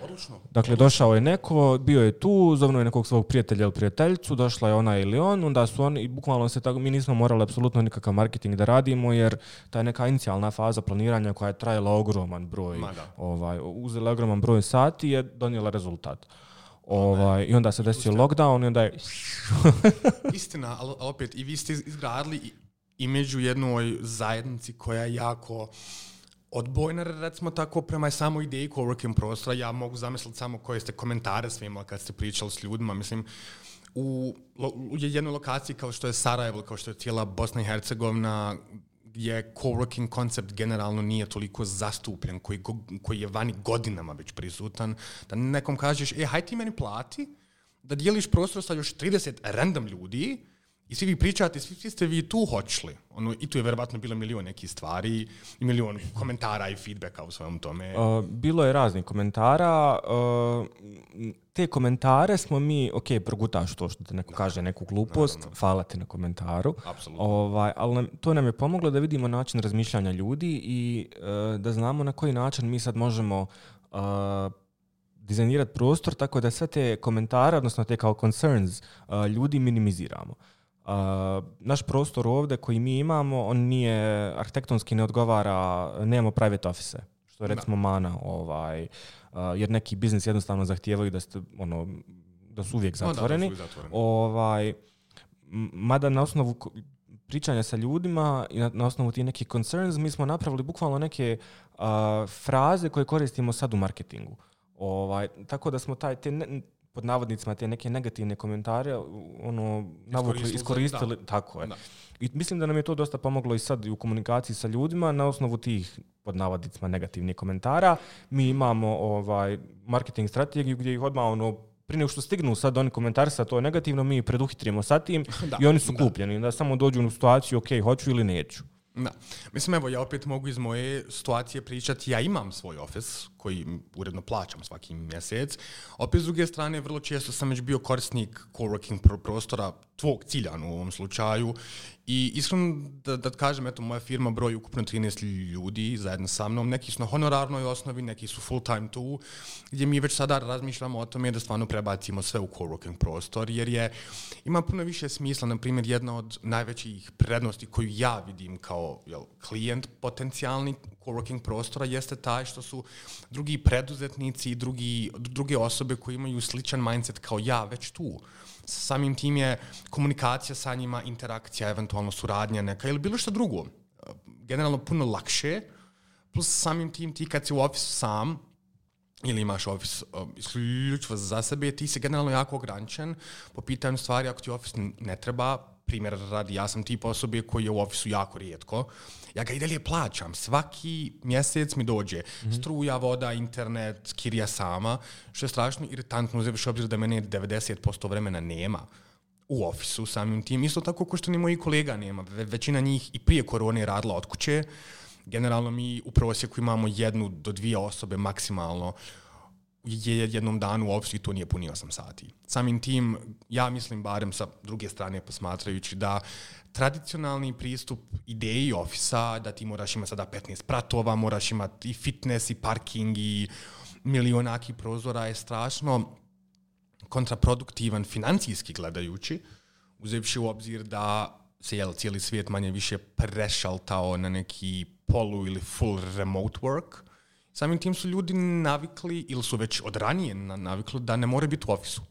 Odlično. Dakle, došao je neko, bio je tu, zovno je nekog svog prijatelja ili prijateljicu, došla je ona ili on, onda su oni, i bukvalno se tako, mi nismo morali apsolutno nikakav marketing da radimo, jer ta je neka inicijalna faza planiranja koja je trajala ogroman broj, ovaj, uzela ogroman broj sati je donijela rezultat. Ovaj, I onda se desio lockdown i onda je... Istina, ali opet, i vi ste izgradili i među jednoj zajednici koja je jako odbojna, recimo tako, prema samoj ideji coworking prostora. Ja mogu zamisliti samo koje ste komentare sve imali kad ste pričali s ljudima. Mislim, u, u jednoj lokaciji kao što je Sarajevo, kao što je cijela Bosna i Hercegovina, gdje coworking koncept generalno nije toliko zastupljen, koji, koji je vani godinama već prisutan, da nekom kažeš, e, haj ti meni plati, da dijeliš prostor sa još trideset random ljudi i svi vi pričate, svi, svi ste vi tu hoćli. Ono, i tu je verovatno bilo milion nekih stvari i milion komentara i feedbacka u svojom tome. Uh, bilo je raznih komentara. Uh, te komentare smo mi, ok, progutaš to što te neko kaže neku glupost, naravno. Hvala ti na komentaru. Apsolutno. Ovaj, ali nam, to nam je pomoglo da vidimo način razmišljanja ljudi i uh, da znamo na koji način mi sad možemo uh, dizajnirati prostor tako da sve te komentare, odnosno te kao concerns, uh, ljudi minimiziramo. Uh, naš prostor ovdje koji mi imamo, on nije, arhitektonski ne odgovara, nemamo private office, što je recimo mana, ovaj, uh, jer neki biznis jednostavno zahtijevaju da ste, ono, da su uvijek zatvoreni. No, da, da su zatvoreni. Ovaj, mada na osnovu pričanja sa ljudima i na, na osnovu tih nekih concerns, mi smo napravili bukvalno neke uh, fraze koje koristimo sad u marketingu. Ovaj, tako da smo taj, te ne, pod navodnicima te neke negativne komentare ono, navukli, iskoristili. Da. Tako je. Da. I mislim da nam je to dosta pomoglo i sad i u komunikaciji sa ljudima na osnovu tih pod navodnicima negativnih komentara. Mi imamo ovaj, marketing strategiju gdje ih odmah ono, prije nego što stignu sad oni komentari sa to je negativno, mi ih preduhitrimo sa tim da. I oni su kupljeni. Da samo dođu u situaciju, ok, hoću ili neću. Da. Mislim, evo, ja opet mogu iz moje situacije pričati, ja imam svoj office koji uredno plaćam svaki mjesec. Opet, s druge strane, vrlo često sam već bio korisnik coworking prostora tvog ciljana u ovom slučaju i iskreno da, da kažem, eto, moja firma broji ukupno trinaest ljudi zajedno sa mnom, neki su na honorarnoj osnovi, neki su full time tu, gdje mi već sada razmišljamo o tome da stvarno prebacimo sve u coworking prostor, jer je, ima puno više smisla. Na primjer, jedna od najvećih prednosti koju ja vidim kao jel, klijent potencijalni coworking prostora jeste taj što su drugi preduzetnici i drugi, druge osobe koji imaju sličan mindset kao ja već tu. Samim tim je komunikacija sa njima, interakcija, eventualno suradnja neka ili bilo što drugo. Generalno puno lakše, plus samim tim ti kad si u ofisu sam ili imaš ofis uh, isključivo za sebe, ti si generalno jako ograničen po pitanju stvari ako ti ofis ne treba. Primjer radi, ja sam tip osobe koji je u ofisu jako rijetko. Ja ga i dalje plaćam. Svaki mjesec mi dođe mm-hmm. struja, voda, internet, kirija sama, što je strašno iritantno uzevši obzir da mene devedeset posto vremena nema u ofisu samim tim. Isto tako ko što ni moji kolega nema. Ve- većina njih i prije korone radila od kuće. Generalno mi u prosjeku imamo jednu do dvije osobe maksimalno je jednom danu u ofisu i to nije puni osam sati. Samim tim, ja mislim, barem sa druge strane posmatrajući, da tradicionalni pristup ideji ofisa, da ti moraš imati sada petnaest pratova, moraš imati i fitness, i parking, i milionaki prozora, je strašno kontraproduktivan financijski gledajući, uzevši u obzir da se jel, cijeli svijet manje više prešaltao na neki polu ili full remote work. Samim tim su ljudi navikli, ili su već od ranije navikli, da ne moraju biti u ofisu.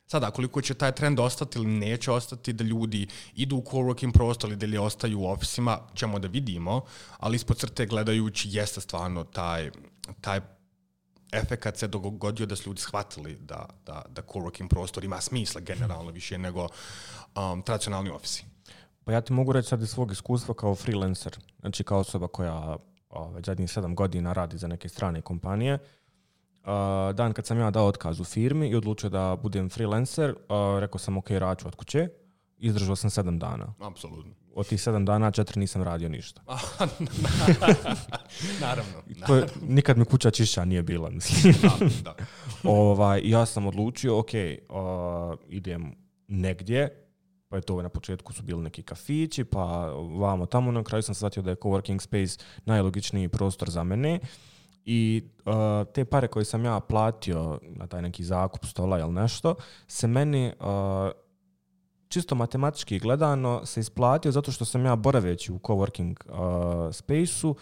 Sada, koliko će taj trend ostati ili neće ostati, da ljudi idu u coworking prostor ili da li ostaju u ofisima, ćemo da vidimo, ali ispod crte gledajući jeste stvarno taj, taj efekat se dogodio da su ljudi shvatili da, da, da coworking prostor ima smisla generalno više nego um, tradicionalni ofisi. Pa ja ti mogu reći sad iz svog iskustva kao freelancer, znači kao osoba koja već zadnjih sedam godina radi za neke strane kompanije. Uh, dan kad sam ja dao otkaz u firmi i odlučio da budem freelancer, uh, rekao sam ok, raču od kuće, izdržao sam sedam dana. Apsolutno. Od tih sedam dana četiri nisam radio ništa. Naravno. To je, nikad mi kuća čišća nije bila, mislim. Da, da. ovaj, ja sam odlučio, ok, uh, idem negdje, pa je to na početku su bili neki kafići, pa vamo tamo, na kraju sam shvatio da je coworking space najlogičniji prostor za mene. I uh, te pare koje sam ja platio na taj neki zakup stola ili nešto, se meni uh, čisto matematički gledano se isplatio zato što sam ja boraveći u coworking uh, space-u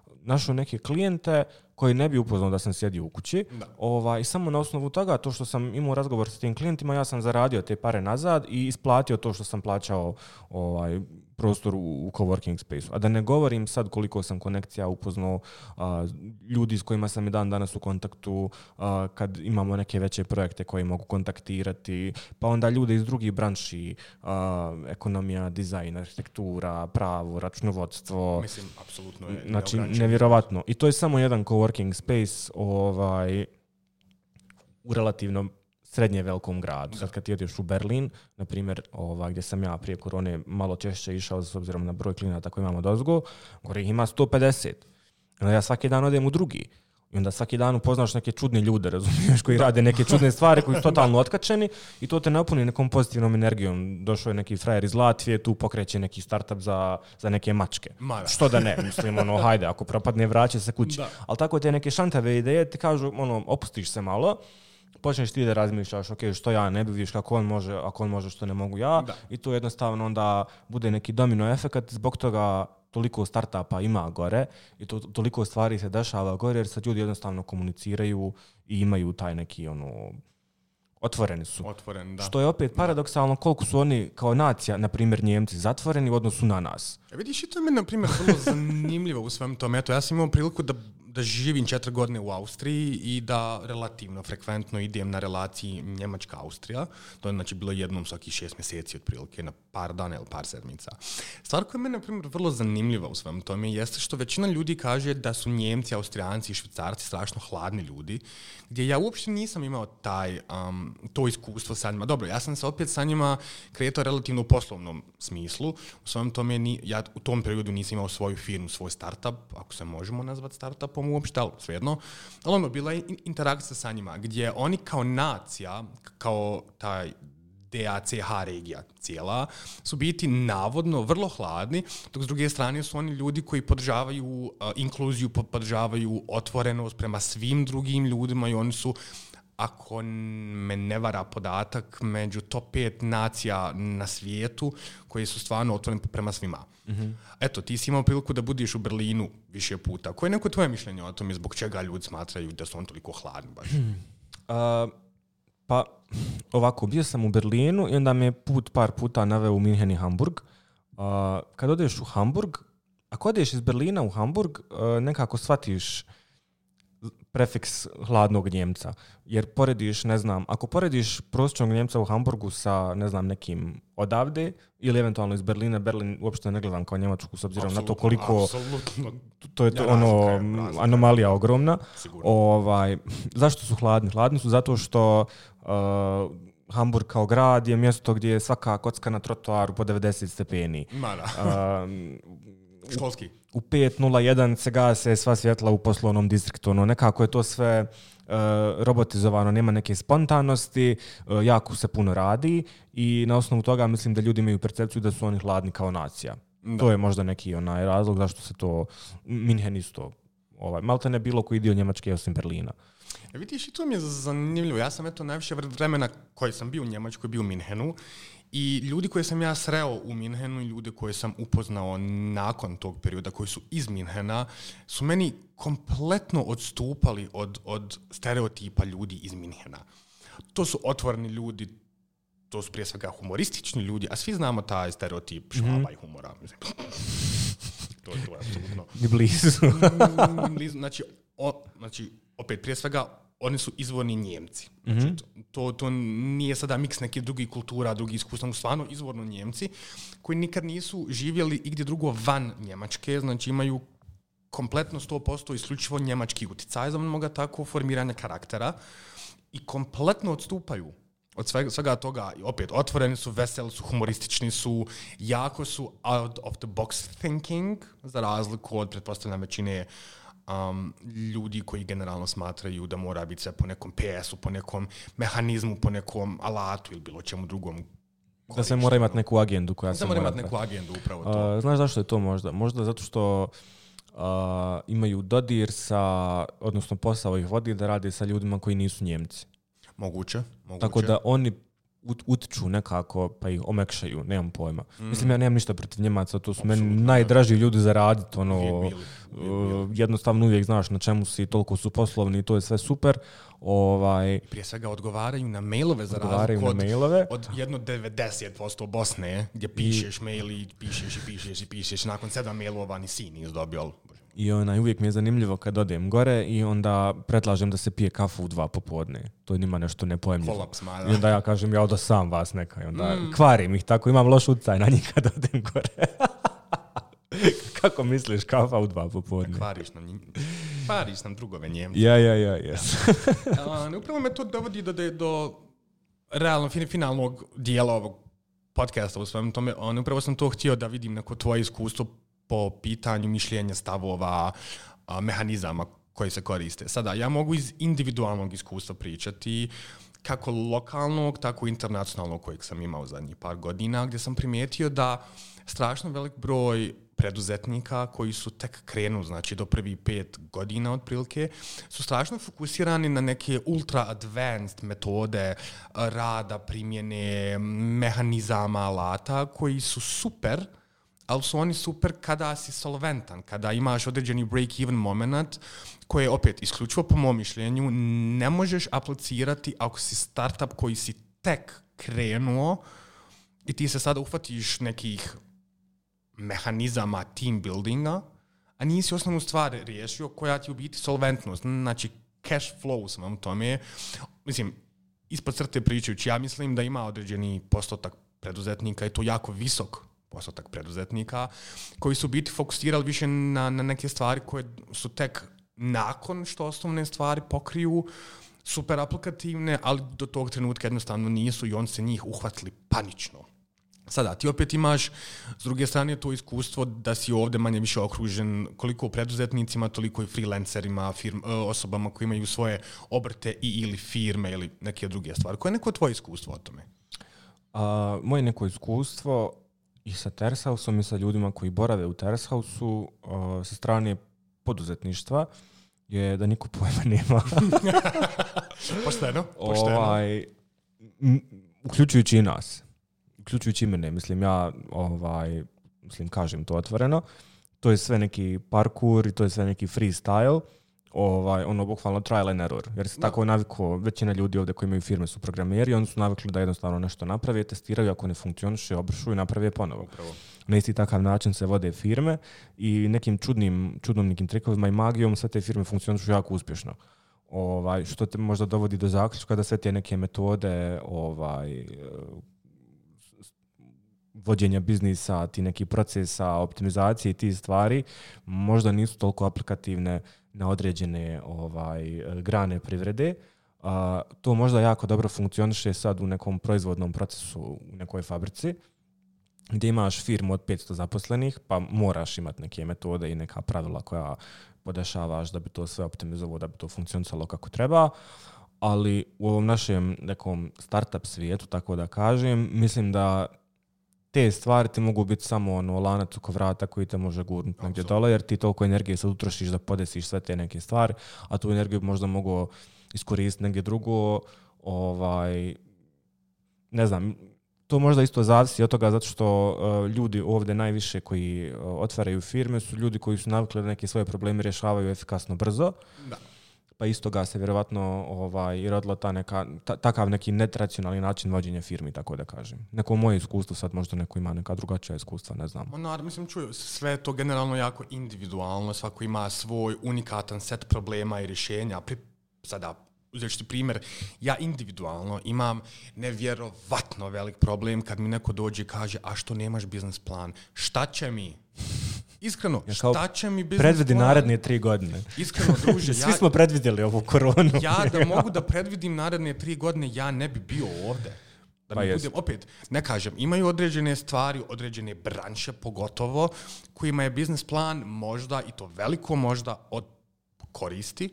našao neke klijente koji ne bi upoznao da sam sjedio u kući. Ovaj, i samo na osnovu toga, to što sam imao razgovor sa tim klijentima, ja sam zaradio te pare nazad i isplatio to što sam plaćao ovaj, prostor u, u coworking spaceu. A da ne govorim sad koliko sam konekcija upoznao, a, ljudi s kojima sam i dan danas u kontaktu, a, kad imamo neke veće projekte koje mogu kontaktirati, pa onda ljude iz drugih branši, a, ekonomija, dizajn, arhitektura, pravo, računovodstvo. Mislim, apsolutno je. Znači, nevjerovatno. I to je samo jedan coworking space ovaj, u relativno srednje velikom gradu. Sad kad ti ideš u Berlin, na primjer, ovaj, gdje sam ja prije korone malo češće išao s obzirom na broj klijenata koji imamo dozgo, gore ih ima sto pedeset. Onda ja svaki dan odem u drugi. I onda svaki dan upoznaš neke čudne ljude, razumiješ, koji rade neke čudne stvari, koji su totalno otkačeni i to te napuni nekom pozitivnom energijom. Došao je neki frajer iz Latvije, tu pokreće neki startup za, za neke mačke. Mara. Što da ne, mislim, ono, hajde, ako propadne, vraća se kući. Da. Ali tako te neke šantave ideje ti kažu, ono, opustiš se malo, počneš ti da razmišljaš, ok, što ja ne bi, viš kako on može, ako on može, što ne mogu ja. Da. I to jednostavno onda bude neki domino efekt, zbog toga toliko startupa ima gore i to, toliko stvari se dešava gore, jer sad ljudi jednostavno komuniciraju i imaju taj neki, ono, otvoreni su. Otvoren, da. Što je opet paradoksalno koliko su oni kao nacija, na primjer Njemci, zatvoreni u odnosu na nas. E vidiš, i to je meni, na primjer, vrlo zanimljivo u svem tom. Eto, ja sam imao priliku da da živim četiri godine u Austriji i da relativno frekventno idem na relaciji Njemačka-Austrija. To je znači bilo jednom svaki šest mjeseci otprilike, na par dana ili par sedmica. Stvar koja je meni, na primjer, vrlo zanimljiva u svem tome jeste što većina ljudi kaže da su Njemci, Austrijanci i Švicarci strašno hladni ljudi, gdje ja uopšte nisam imao taj, um, to iskustvo sa njima. Dobro, ja sam se opet sa njima kretao relativno u poslovnom smislu. U svem tome, ni, ja u tom periodu nisam imao svoju firmu, svoj startup, ako se možemo nazvati startupom uopšte, ali svejedno. Ali ono, bila je interakcija sa njima, gdje oni kao nacija, kao taj D A C H regija cijela, su biti navodno vrlo hladni, dok s druge strane su oni ljudi koji podržavaju uh, inkluziju, podržavaju otvorenost prema svim drugim ljudima i oni su, ako me ne vara podatak, među top pet nacija na svijetu koji su stvarno otvoreni prema svima. Mm-hmm. Eto, ti si imao priliku da budiš u Berlinu više puta. Koje je neko tvoje mišljenje o tome zbog čega ljudi smatraju da su on toliko hladni baš? Hmm. Uh, pa, ovako, bio sam u Berlinu i onda me je put par puta naveo u Minhen i Hamburg. Uh, kad odeš u Hamburg, ako odeš iz Berlina u Hamburg, uh, nekako shvatiš prefiks hladnog Njemca. Jer porediš, ne znam, ako porediš prosječnog Njemca u Hamburgu sa, ne znam, nekim odavde ili eventualno iz Berlina, Berlin uopšte ne gledam kao Njemačku s obzirom na to koliko apsolutno. To je to, ja, ono razlika, razlika. Anomalija ogromna. Ovaj, zašto su hladni? Hladni su zato što uh, Hamburg kao grad je mjesto gdje je svaka kocka na trotoaru po devedeset stepeni. Mara. Uh, Školski. U pet nula jedan se gase sva svjetla u poslovnom distriktu. Ono, nekako je to sve uh, robotizovano, nema neke spontanosti, uh, jako se puno radi i na osnovu toga mislim da ljudi imaju percepciju da su oni hladni kao nacija. Da. To je možda neki onaj razlog zašto se to Minhen isto, ovaj, malte ne bilo koji dio Njemačke osim Berlina. E, vidiš, i to mi je zanimljivo. Ja sam eto najviše vremena koji sam bio u Njemačkoj, bio u Minhenu. I ljudi koje sam ja sreo u Minhenu i ljude koje sam upoznao nakon tog perioda koji su iz Minhena su meni kompletno odstupali od, od stereotipa ljudi iz Minhena. To su otvoreni ljudi, to su prije svega humoristični ljudi, a svi znamo taj stereotip Švaba mm-hmm. i humora. to, to je apsolutno. Ni blizu. blizu. Znači, o, znači, opet prije svega oni su izvorni Njemci. Mm-hmm. Znači, to, to nije sada miks neke drugih kultura, drugih iskustva, stvarno izvorno Njemci koji nikad nisu živjeli igdje drugo van Njemačke, znači imaju kompletno sto posto isključivo njemački utjecaj za mnoga tako formiranja karaktera i kompletno odstupaju od svega, svega toga. I opet, otvoreni su, veseli su, humoristični su, jako su out of the box thinking, za razliku od, pretpostavljam, većine Um, ljudi koji generalno smatraju da mora biti sve po nekom P S-u, po nekom mehanizmu, po nekom alatu ili bilo čemu drugom. Da se mora imati neku agendu koja da se mora mora... imati neku agendu, upravo to. Uh, znaš zašto je to možda? Možda zato što uh, imaju dodir sa, odnosno posao ih vodi da rade sa ljudima koji nisu Njemci. Moguće, moguće. Tako da oni ut, utiču nekako, pa ih omekšaju, nemam pojma. Mm. Mislim, ja nemam ništa protiv Njemaca, to su Absolutno, meni najdraži ljudi za raditi, ono, Uvijek bili, uvijek bili. uh, jednostavno uvijek znaš na čemu si, toliko su poslovni i to je sve super. Ovaj, Prije svega odgovaraju na mailove za odgovaraju razliku na od, mailove. od jedno devedeset posto Bosne, gdje pišeš I, mail i pišeš i pišeš i pišeš, nakon sedam mailova ni si nis dobio. I onaj, uvijek mi je zanimljivo kad odem gore i onda predlažem da se pije kafu u dva popodne. To je njima nešto nepojemljivo. Kolaps, ma, da. I onda ja kažem, ja odo sam vas neka. I onda Mm. kvarim ih tako, imam loš utjecaj na njih kad odem gore. Kako misliš, kafa u dva popodne? Kvariš nam, njim- kvariš nam drugove Njemce. Ja, ja, ja, jes. Uh, upravo me to dovodi do, do realno fin, finalnog dijela ovog podcasta u svem tome. On, upravo sam to htio da vidim neko tvoje iskustvo po pitanju mišljenja, stavova, a, mehanizama koji se koriste. Sada, ja mogu iz individualnog iskustva pričati kako lokalnog, tako i internacionalnog kojeg sam imao zadnjih par godina, gdje sam primijetio da strašno velik broj preduzetnika koji su tek krenu, znači do prvih pet godina otprilike, su strašno fokusirani na neke ultra advanced metode rada, primjene mehanizama, alata koji su super, ali su oni super kada si solventan, kada imaš određeni break-even moment koje, opet, isključivo po mom mišljenju, ne možeš aplicirati ako si startup koji si tek krenuo i ti se sada uhvatiš nekih mehanizama team buildinga, a nisi osnovnu stvar riješio koja ti u biti solventnost, znači cash flow sam u tome. Mislim, ispod crte pričajući, ja mislim da ima određeni postotak preduzetnika i to jako visok postotak preduzetnika koji su biti fokusirali više na, na neke stvari koje su tek nakon što osnovne stvari pokriju super aplikativne, ali do tog trenutka jednostavno nisu i on se njih uhvatili panično. Sada, ti opet imaš s druge strane to iskustvo da si ovdje manje više okružen koliko preduzetnicima, toliko i freelancerima, firm, osobama koji imaju svoje obrte i ili firme ili neke druge stvari. Koje je neko tvoje iskustvo o tome? A, moje neko iskustvo i sa Terrace House-om i sa ljudima koji borave u Terrace House-u a, sa strane poduzetništva je da niko pojma nema. Pošteno, pošteno. Ovaj, m, uključujući i nas. Uključujući i mene, mislim, ja ovaj, mislim, kažem to otvoreno. To je sve neki parkour i to je sve neki freestyle. Ovaj, ono, bukvalno trial and error. Jer se Da. tako naviklo, većina ljudi ovdje koji imaju firme su programeri, oni su navikli da jednostavno nešto naprave, testiraju, ako ne funkcioniše, obršu i naprave ponovo. Upravo. Na isti takav način se vode firme i nekim čudnim, čudnom nekim trikovima i magijom sve te firme funkcionišu jako uspješno. Ovaj, što te možda dovodi do zaključka da sve te neke metode ovaj, vođenja biznisa, ti neki procesa, optimizacije i ti stvari možda nisu toliko aplikativne na određene ovaj, grane privrede. Uh, to možda jako dobro funkcioniše sad u nekom proizvodnom procesu u nekoj fabrici gdje imaš firmu od petsto zaposlenih, pa moraš imati neke metode i neka pravila koja podešavaš da bi to sve optimizovalo, da bi to funkcionisalo kako treba. Ali u ovom našem nekom startup svijetu, tako da kažem, mislim da te stvari ti mogu biti samo ono lanac oko vrata koji te može gurnuti negdje dole, jer ti toliko energije sad utrošiš da podesiš sve te neke stvari, a tu energiju možda mogu iskoristiti negdje drugo. Ovaj, ne znam, to možda isto zavisi od toga zato što uh, ljudi ovdje najviše koji uh, otvaraju firme su ljudi koji su navikli da neke svoje probleme rješavaju efikasno brzo. Da. Pa isto ga se vjerovatno ovaj, i rodilo ta neka, ta, takav neki netradicionalni način vođenja firmi, tako da kažem. Neko moje iskustvo, sad možda neko ima neka drugačija iskustva, ne znam. Naravno, mislim, čuju, sve je to generalno jako individualno, svako ima svoj unikatan set problema i rješenja. Pri, sada, uzeti ću primjer, ja individualno imam nevjerovatno velik problem kad mi neko dođe i kaže, a što nemaš biznis plan? Šta će mi? Iskreno, Ja kao šta će mi biznis predvidi plan? naredne tri godine. Iskreno, druže, Svi ja, smo predvidjeli ovu koronu. ja da mogu da predvidim naredne tri godine, ja ne bi bio ovdje. Da Pa mi jest. budem, opet, ne kažem, imaju određene stvari, određene branše pogotovo, kojima je biznis plan možda, i to veliko možda, od koristi.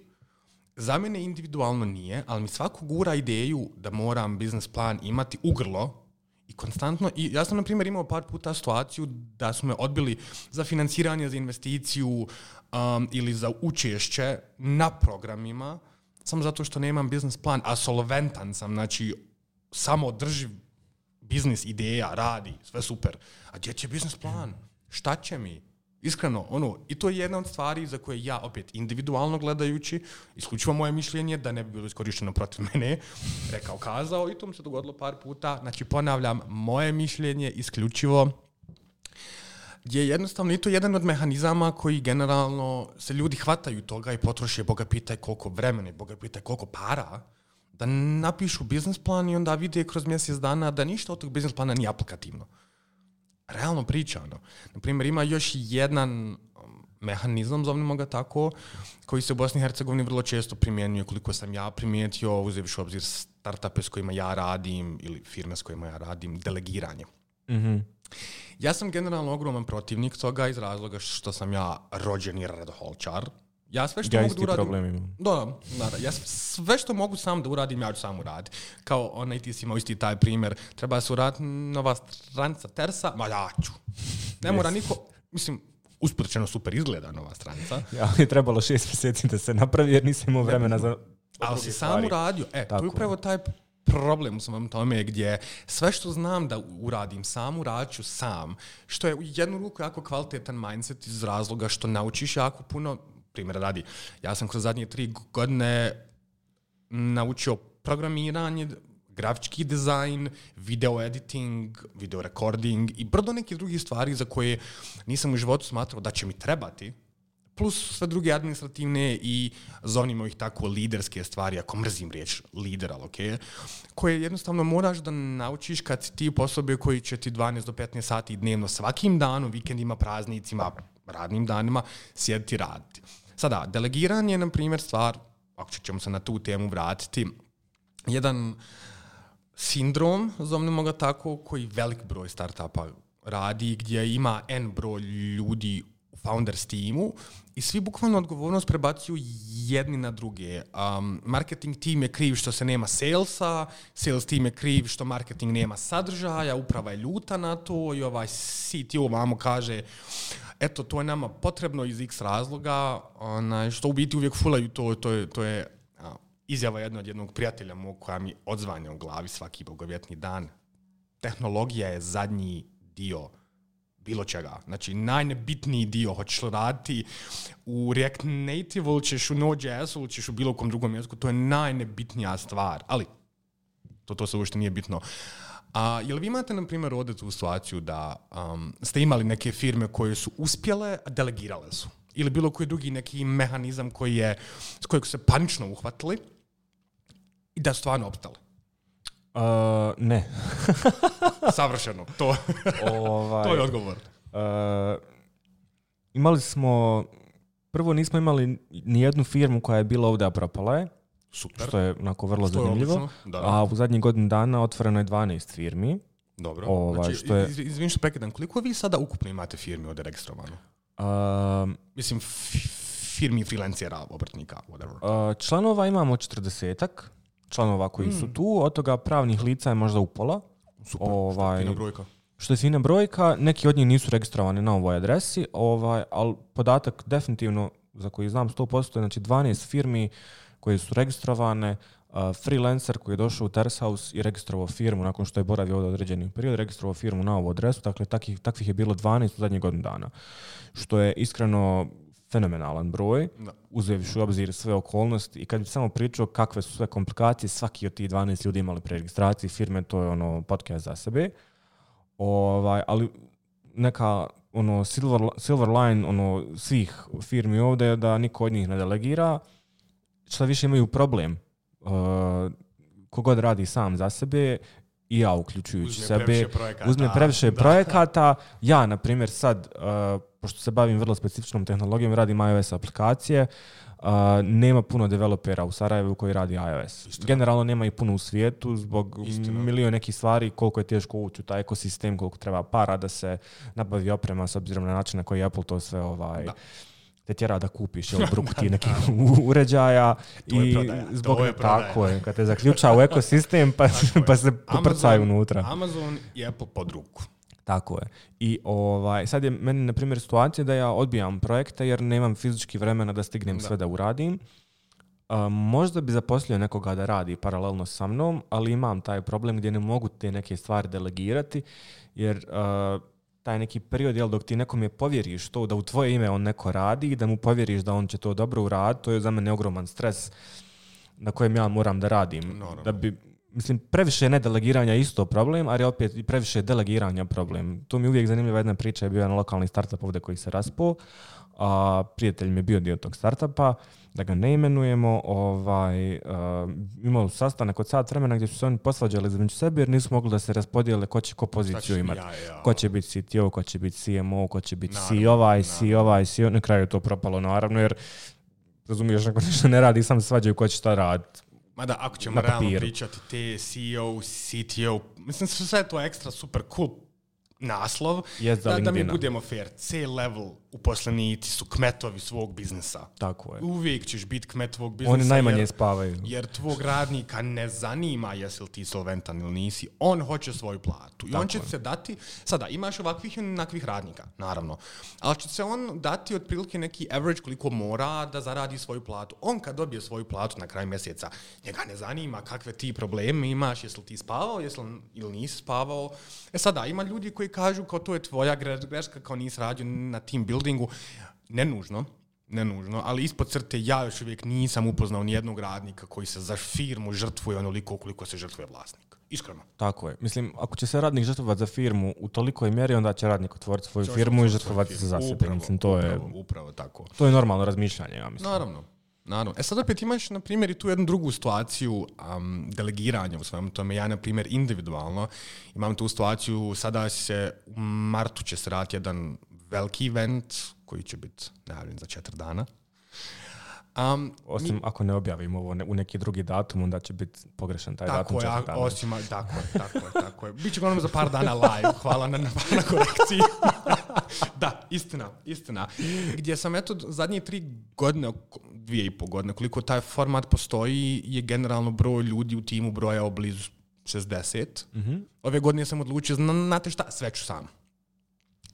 Za mene individualno nije, ali mi svako gura ideju da moram biznis plan imati u grlo i konstantno. I ja sam, na primjer, imao par puta situaciju da su me odbili za financiranje, za investiciju um, ili za učešće na programima, samo zato što nemam biznis plan, a solventan sam, znači samo održiv biznis, ideja, radi, sve super. A gdje će biznis plan? Šta će mi? Iskreno, ono, i to je jedna od stvari za koje ja, opet, individualno gledajući, isključivo moje mišljenje, da ne bi bilo iskorišteno protiv mene, rekao, kazao, i to mi se dogodilo par puta. Znači, ponavljam, moje mišljenje isključivo je jednostavno i to jedan od mehanizama koji generalno se ljudi hvataju toga i potroše, Boga pitaj koliko vremena, Boga pitaj koliko para, da napišu biznis plan i onda vide kroz mjesec dana da ništa od tog biznis plana nije aplikativno. Realno pričano. Naprimjer, ima još jedan mehanizam, zovnimo ga tako, koji se u Bosni i Hercegovini vrlo često primjenjuje, koliko sam ja primijetio, uzevši u obzir startupe s kojima ja radim ili firme s kojima ja radim, delegiranje. Mm-hmm. Ja sam generalno ogroman protivnik toga iz razloga što sam ja rođeni redoholčar. Ja sve što ja mogu da uradim... problem Da, da, ja sve što mogu sam da uradim, ja ću sam uraditi. Kao onaj, ti si imao isti taj primjer, treba se uraditi nova stranica Tersa, ma ja ću. Ne mora yes. niko, mislim, usporečeno super izgleda nova stranica. Ja, je trebalo šest mjeseci da se napravi jer nisam imao vremena za... Ali si sam uradio, e, tako. To je upravo taj problem u samom tome gdje sve što znam da uradim sam, uradit ću sam, što je u jednu ruku jako kvalitetan mindset iz razloga što naučiš jako puno. Primjer radi, ja sam kroz zadnje tri godine naučio programiranje, grafički dizajn, video editing, video recording i brdo nekih drugih stvari za koje nisam u životu smatrao da će mi trebati, plus sve druge administrativne i zovnimo ih tako liderske stvari, ako mrzim riječ lider, ali okay, koje jednostavno moraš da naučiš kad si ti osobe koji će ti dvanaest do petnaest sati dnevno svakim danom, vikendima, praznicima, radnim danima, sjediti i raditi. Sada, delegiranje je, na primjer, stvar, ako ćemo se na tu temu vratiti, jedan sindrom, zovnimo ga tako, koji velik broj startupa radi, gdje ima N broj ljudi u founders timu i svi bukvalno odgovornost prebacuju jedni na druge. Um, marketing tim je kriv što se nema salesa, sales tim je kriv što marketing nema sadržaja, uprava je ljuta na to i ovaj C T O vamo kaže eto, to je nama potrebno iz x razloga, onaj, što u biti uvijek fulaju, to, to je, to je a, izjava jedna od jednog prijatelja mog koja mi odzvanja u glavi svaki bogovjetni dan. Tehnologija je zadnji dio bilo čega. Znači, najnebitniji dio hoćeš raditi u React Native ili ćeš u Node.js ili ćeš u bilo kom drugom jeziku, to je najnebitnija stvar. Ali, to, to se uopšte nije bitno. A jel vi imate, na primjer, ovdje tu situaciju da um, ste imali neke firme koje su uspjele, a delegirale su? Ili bilo koji drugi neki mehanizam koji je, s kojeg su se panično uhvatili i da su stvarno opstali? Uh, ne. Savršeno. To, ovaj, to je odgovor. Uh, imali smo... Prvo nismo imali ni jednu firmu koja je bila ovdje, a propala je. Super. Što je onako vrlo što zanimljivo. Da. A u zadnjih godinu dana otvoreno je dvanaest firmi. Dobro. Ovaj, znači, što je... iz, izvim što prekidam, koliko vi sada ukupno imate firmi ovdje registrovano? Uh, Mislim, f- firmi freelancera, obrtnika, whatever. Uh, članova imamo četrdesetak. Članova koji mm. su tu. Od toga pravnih lica je možda upola. Super, ovaj, što je fina brojka. Što je fina brojka. Neki od njih nisu registrovani na ovoj adresi, ovaj, ali podatak definitivno za koji znam sto posto je znači dvanaest firmi koje su registrovane, uh, freelancer koji je došao u Tersaus i registrovao firmu nakon što je boravio ovdje određeni period, registrovao firmu na ovu adresu, dakle takvih, takvih je bilo dvanaest u zadnjih godinu dana, što je iskreno fenomenalan broj, da. Uzevši u obzir sve okolnosti i kad bi samo pričao kakve su sve komplikacije, svaki od tih dvanaest ljudi imali pre registracije firme, to je ono podcast za sebe, ovaj, ali neka ono silver, silver line ono, svih firmi ovdje je da niko od njih ne delegira. Šta više imaju problem, uh, kogod radi sam za sebe i ja uključujući uzme sebe, previše projekata, uzme previše projekata. Ja, na primjer, sad, uh, pošto se bavim vrlo specifičnom tehnologijom, radim iOS aplikacije, uh, nema puno developera u Sarajevu koji radi iOS. Istina. Generalno nema i puno u svijetu zbog Istina. milion nekih stvari, koliko je teško ući u taj ekosistem, koliko treba para da se nabavi oprema s obzirom na način na koji Apple to sve ovaj... Da. te tjera da kupiš jel, bruku ti nekih uređaja i zbog tako je, kad te zaključa u ekosistem pa, pa se poprcaju unutra. Amazon i Apple pod ruku. Tako je. I ovaj, sad je meni, na primjer, situacija da ja odbijam projekte jer nemam fizički vremena da stignem da. sve da uradim. Uh, možda bi zaposlio nekoga da radi paralelno sa mnom, ali imam taj problem gdje ne mogu te neke stvari delegirati, jer uh, taj neki period, jel, dok ti nekome povjeriš to da u tvoje ime on neko radi i da mu povjeriš da on će to dobro uraditi, to je za mene ogroman stres na kojem ja moram da radim. Naravno. Da bi, mislim, previše nedelegiranja je isto problem, ali opet i previše delegiranja problem. To mi je uvijek zanimljiva jedna priča, je bio jedan lokalni startup ovdje koji se raspao, a prijatelj mi je bio dio tog startupa, da ga ne imenujemo, ovaj, uh, imali su sastanak od sat vremena gdje su se oni posvađali između sebe jer nisu mogli da se raspodijele ko će ko poziciju imati. Ja, ja. Ko će biti C T O, ko će biti C M O, ko će biti Naravno, C ovaj, naravno. C ovaj, C O. Na kraju je to propalo, naravno, jer razumiješ, ako ništa ne radi, sam se svađaju ko će šta raditi. Mada, ako ćemo Na realno papiru. pričati, te C E O, C T O, mislim su sve to ekstra super cool naslov, Jest za da, da mi LinkedIna. budemo fair. C-level uposlenici su kmetovi svog biznisa. Tako je. Uvijek ćeš biti kmet tvog biznisa. Oni najmanje jer, spavaju. jer tvog radnika ne zanima jesi li ti solventan ili nisi. On hoće svoju platu. I Tako on će je. se dati, sada imaš ovakvih i onakvih radnika, naravno. Ali će se on dati otprilike neki average koliko mora da zaradi svoju platu. On kad dobije svoju platu na kraju mjeseca, njega ne zanima kakve ti probleme imaš, jesi li ti spavao, jesi li ili nisi spavao. E sada, ima ljudi koji kažu kao to je tvoja greška, kao nisi radio na team buildingu. Ne nužno, ne nužno, ali ispod crte ja još uvijek nisam upoznao nijednog radnika koji se za firmu žrtvuje onoliko koliko se žrtvuje vlasnik. Iskreno. Tako je. Mislim, ako će se radnik žrtvovati za firmu u tolikoj mjeri, onda će radnik otvoriti svoju Će firmu i otvoriti žrtvovati svoju se za firmu. sebe. Upravo, Mislim, to je, upravo, upravo tako. to je normalno razmišljanje, ja mislim. Naravno. Naravno. E sad opet imaš, na primjer, i tu jednu drugu situaciju um, delegiranja u svemu tome. Ja, na primjer, individualno imam tu situaciju, sada se u martu će se raditi jedan veliki event koji će biti najavljen za četiri dana. Um, Osim mi, ako ne objavimo ovo ne, u neki drugi datum, onda će biti pogrešan taj datum. tako je, četiri dana. osim, tako je, tako je, tako je. Biće uglavnom za par dana live, hvala na, na, na korekciji. Da, istina, istina. Gdje sam, eto, zadnje tri godine, dvije i pol godine, koliko taj format postoji, je generalno broj ljudi u timu brojao blizu šezdeset. Mm-hmm. Ove godine sam odlučio, zna- znate šta, sve ću sam.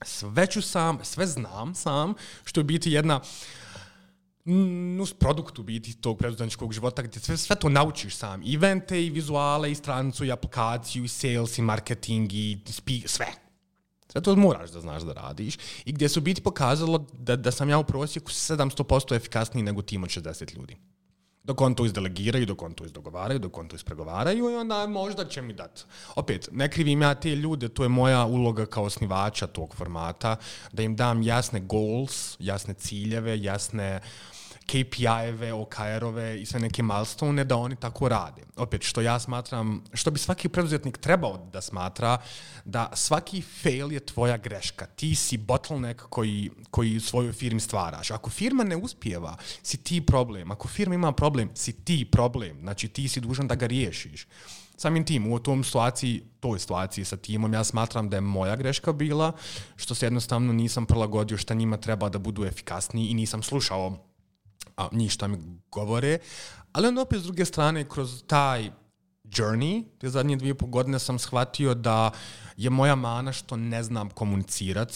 Sve ću sam, sve znam sam, što je biti jedna nus produkt u biti tog preduzetničkog života gdje sve, sve to naučiš sam. I evente, i vizuale, i stranicu, i aplikaciju, i sales, i marketing, i speak, sve. Sve to moraš da znaš da radiš. I gdje se u biti pokazalo da, da sam ja u prosjeku sedamsto posto efikasniji nego tim od šezdeset ljudi. Dok on to izdelegiraju, dok on to izdogovaraju, dok on to ispregovaraju i onda možda će mi dati. Opet, ne krivim ja te ljude, to je moja uloga kao osnivača tog formata, da im dam jasne goals, jasne ciljeve, jasne K P I-eve, O K R-ove i sve neke milestone da oni tako rade. Opet, što ja smatram, što bi svaki preduzetnik trebao da smatra, da svaki fail je tvoja greška. Ti si bottleneck koji, koji u svojoj firmi stvaraš. Ako firma ne uspijeva, si ti problem. Ako firma ima problem, si ti problem. Znači, ti si dužan da ga riješiš. Samim tim, u tom situaciji, toj situaciji sa timom, ja smatram da je moja greška bila, što se jednostavno nisam prilagodio šta njima treba da budu efikasniji i nisam slušao a njih šta mi govore, ali onda opet s druge strane kroz taj journey, te zadnje dvije i pol godine sam shvatio da je moja mana što ne znam komunicirati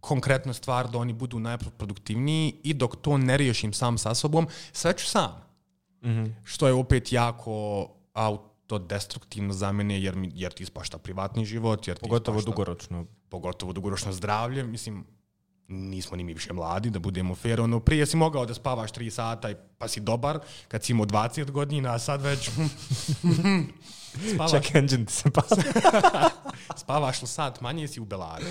konkretno stvar da oni budu najproduktivniji i dok to ne riješim sam sa sobom, sve ću sam. Mm-hmm. Što je opet jako autodestruktivno za mene jer, mi, jer ti ispašta privatni život, jer ti Pogotovo ispašta, dugoročno. pogotovo dugoročno zdravlje, mislim, nismo ni mi više mladi, da budemo fair. Ono, prije si mogao da spavaš tri sata i pa si dobar, kad si imao dvadeset godina, a sad već spavaš, Check engine ti se pali. spavaš li sat manje, si u belari.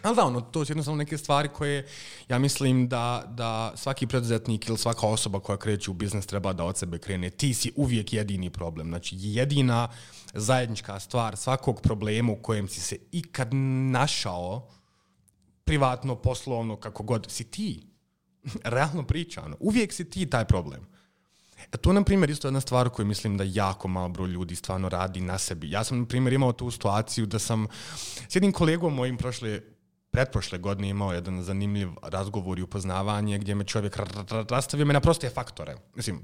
Ali da, ono, to su jednostavno neke stvari koje ja mislim da, da svaki preduzetnik ili svaka osoba koja kreće u biznis treba da od sebe krene. Ti si uvijek jedini problem. Znači, jedina zajednička stvar svakog problema u kojem si se ikad našao, privatno, poslovno, kako god, si ti. Realno pričano. Uvijek si ti taj problem. E to, na primjer, isto jedna stvar koju mislim da jako malo broj ljudi stvarno radi na sebi. Ja sam, na primjer, imao tu situaciju da sam s jednim kolegom mojim prošle, pretprošle godine imao jedan zanimljiv razgovor i upoznavanje gdje me čovjek rastavio me na proste faktore. Mislim,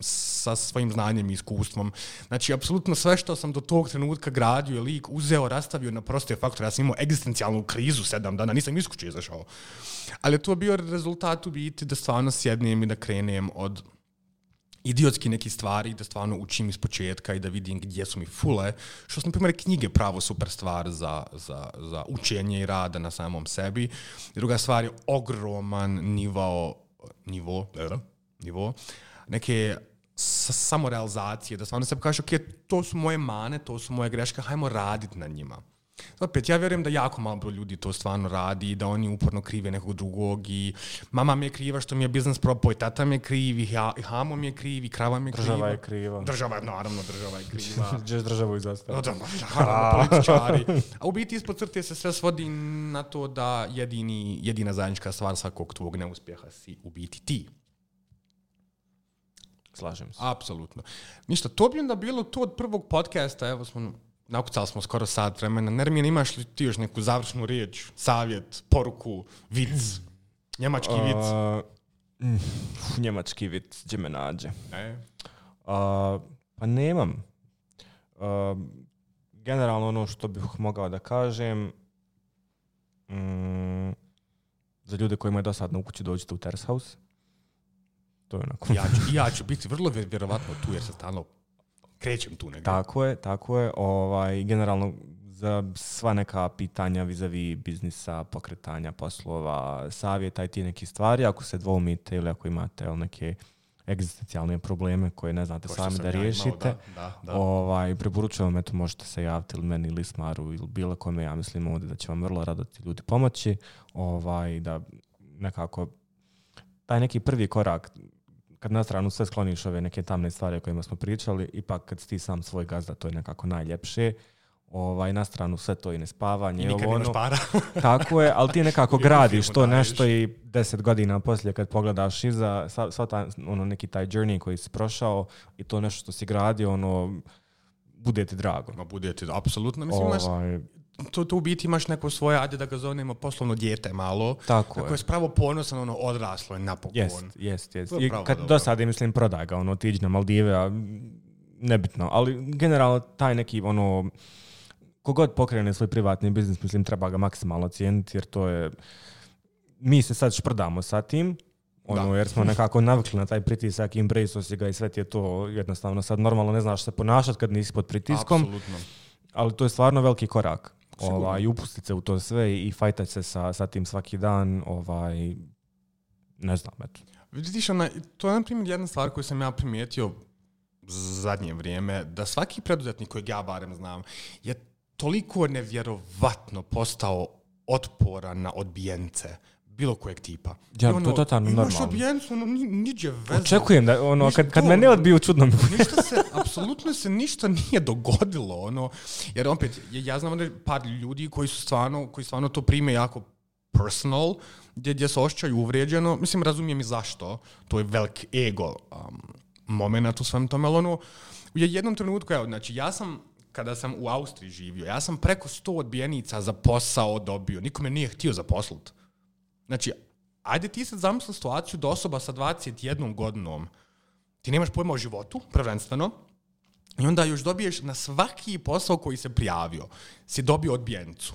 sa svojim znanjem i iskustvom. Znači, apsolutno sve što sam do tog trenutka gradio je lik uzeo, rastavio na proste faktore. Ja sam imao egzistencijalnu krizu sedam dana, nisam iz kuće izašao. Ali to je bio rezultat u biti da stvarno sjednem i da krenem od idiotski neki stvari, da stvarno učim iz početka i da vidim gdje su mi fule, što su, na primjer, knjige pravo super stvar za, za, za učenje i rada na samom sebi. Druga stvar je ogroman nivo, nivo, nivo neke samorealizacije, da stvarno sebi kažeš, ok, to su moje mane, to su moje greške, hajmo raditi na njima. Opet, ja vjerujem da jako malo broj ljudi to stvarno radi, da oni uporno krive nekog drugog i mama mi je kriva što mi je biznis propao i tata mi je kriv i hamo mi je kriv i krava mi je kriva. Država je kriva. Država je, naravno, država je kriva. Gdje državu izastaviti? Naravno, političari. A u biti ispod crte se sve svodi na to da jedini, jedina zajednička stvar svakog tvog neuspjeha si u biti ti. Slažem se. Apsolutno. Ništa, to bi onda bilo to od prvog podcasta, evo smo... Nakucali smo skoro sat vremena. Nermin, imaš li ti još neku završnu riječ, savjet, poruku, vic, njemački vic? Uh, mm, njemački vic, gdje me nađe? E? Uh, pa nemam. Uh, generalno ono što bih mogao da kažem, mm, za ljude kojima je dosadno u kući dođite u Terrace House. To je onako. Ja ću, ja ću biti vrlo vjerovatno tu jer se stalno krećem tu negdje. Tako je, tako je. Ovaj, generalno za sva neka pitanja vis-a-vis biznisa, pokretanja poslova, savjeta i ti neki stvari, ako se dvoumite ili ako imate neke egzistencijalne probleme koje ne znate sami da riješite, ja imao, da, da, da. Ovaj, preporučujem, eto, možete se javiti ili meni ili Ismaru ili bilo kome, ja mislim ovdje da će vam vrlo rado ti ljudi pomoći, ovaj, da nekako taj neki prvi korak, kad na stranu sve skloniš ove neke tamne stvari o kojima smo pričali, ipak kad si ti sam svoj gazda, to je nekako najljepše. Ovaj, na stranu sve to i nespavanje. I nikad ono, imaš para. Tako je, ali ti nekako gradiš to nešto i deset godina poslije kad pogledaš iza, sva, sva ta, ono, neki taj journey koji si prošao i to nešto što si gradio, ono, bude ti drago. Ma bude ti, apsolutno. Mislim, ovaj, imaš, to, to u biti imaš neko svoje, ajde da ga zovemo poslovno dijete malo. Tako je. Koje je spravo ponosan, ono, odraslo je napokon. Jest, jest, jest. I kad do sada, mislim, prodaj ga, ono, ti iđi na Maldive, a nebitno. Ali generalno taj neki, ono, kogod pokrene svoj privatni biznis, mislim, treba ga maksimalno cijeniti, jer to je... Mi se sad šprdamo sa tim, ono, jer smo nekako navikli na taj pritisak, embrace si ga i sve ti je to jednostavno sad normalno ne znaš se ponašati kad nisi pod pritiskom. Apsolutno. Ali to je stvarno veliki korak. Ovaj, upustiti se u to sve i, i fajtati se sa, sa tim svaki dan, ovaj, ne znam, eto. Vidiš, ona, to je, na primjer, jedna stvar koju sam ja primijetio zadnje vrijeme, da svaki preduzetnik kojeg ja barem znam je toliko nevjerovatno postao otporan na odbijence bilo kojeg tipa. Ja, ono, to je totalno normalno. Imaš odbijencu, ono, niđe veze. Očekujem da, ono, kad, kad me ne odbiju, čudno mi bude. Ništa se, apsolutno se ništa nije dogodilo, ono, jer opet, ja znam da par ljudi koji su stvarno, koji stvarno to prime jako personal, gdje, gdje se osjećaju uvrijeđeno, mislim, razumijem i zašto, to je velik ego um, moment u svem tome, ali ono, u jednom trenutku, evo, znači, ja sam, kada sam u Austriji živio, ja sam preko sto odbijenica za posao dobio, niko me nije htio zaposliti. Znači, ajde ti sad zamisli situaciju da osoba sa dvadeset jednom godinom, ti nemaš pojma o životu, prvenstveno, i onda još dobiješ na svaki posao koji se prijavio, si dobio odbijenicu.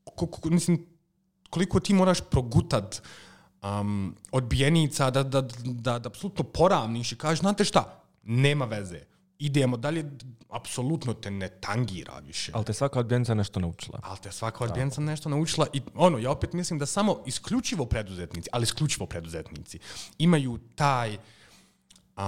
Ko, ko, mislim, koliko ti moraš progutat um, odbijenica da, da, da, da apsolutno poravniš i kažeš, znate šta, nema veze, idemo dalje, apsolutno te ne tangira više. Ali te svaka odbijenica nešto naučila. Ali te svaka odbijenica nešto naučila i ono, ja opet mislim da samo isključivo preduzetnici, ali isključivo preduzetnici, imaju taj uh,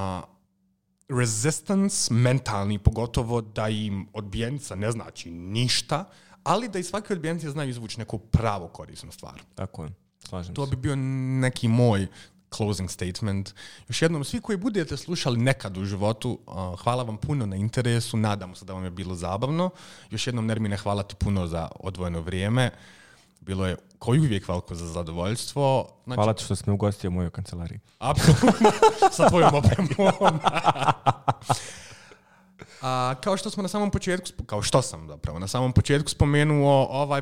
resistance mentalni, pogotovo da im odbijenica ne znači ništa, ali da iz svake odbijenice znaju izvući neku pravo korisnu stvar. Tako je, slažem to se. bi bio neki moj closing statement. Još jednom, svi koji budete slušali nekad u životu, uh, hvala vam puno na interesu, nadamo se da vam je bilo zabavno. Još jednom, Nermine, hvala ti puno za odvojeno vrijeme. Bilo je koji uvijek veliko za zadovoljstvo. Znači, hvala ti što si me ugostio u mojoj kancelariji. Apsolutno, sa tvojom opremom. A, kao što smo na samom početku, kao što sam zapravo na samom početku spomenuo, ovaj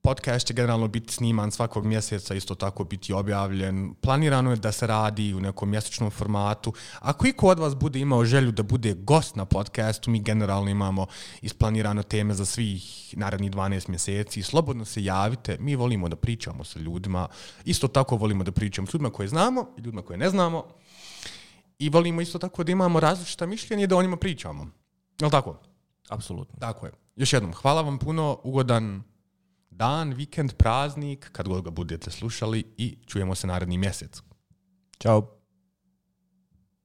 podcast će generalno biti sniman svakog mjeseca, isto tako biti objavljen. Planirano je da se radi u nekom mjesečnom formatu. Ako iko od vas bude imao želju da bude gost na podcastu, mi generalno imamo isplanirano teme za svih narednih dvanaest mjeseci. Slobodno se javite, mi volimo da pričamo sa ljudima. Isto tako volimo da pričamo s ljudima koje znamo i ljudima koje ne znamo. i volimo isto tako da imamo različita mišljenja i da o njima pričamo. Jel' tako? Apsolutno. Tako je. Još jednom, hvala vam puno, ugodan dan, vikend, praznik, kad god ga budete slušali i čujemo se naredni mjesec. Ćao.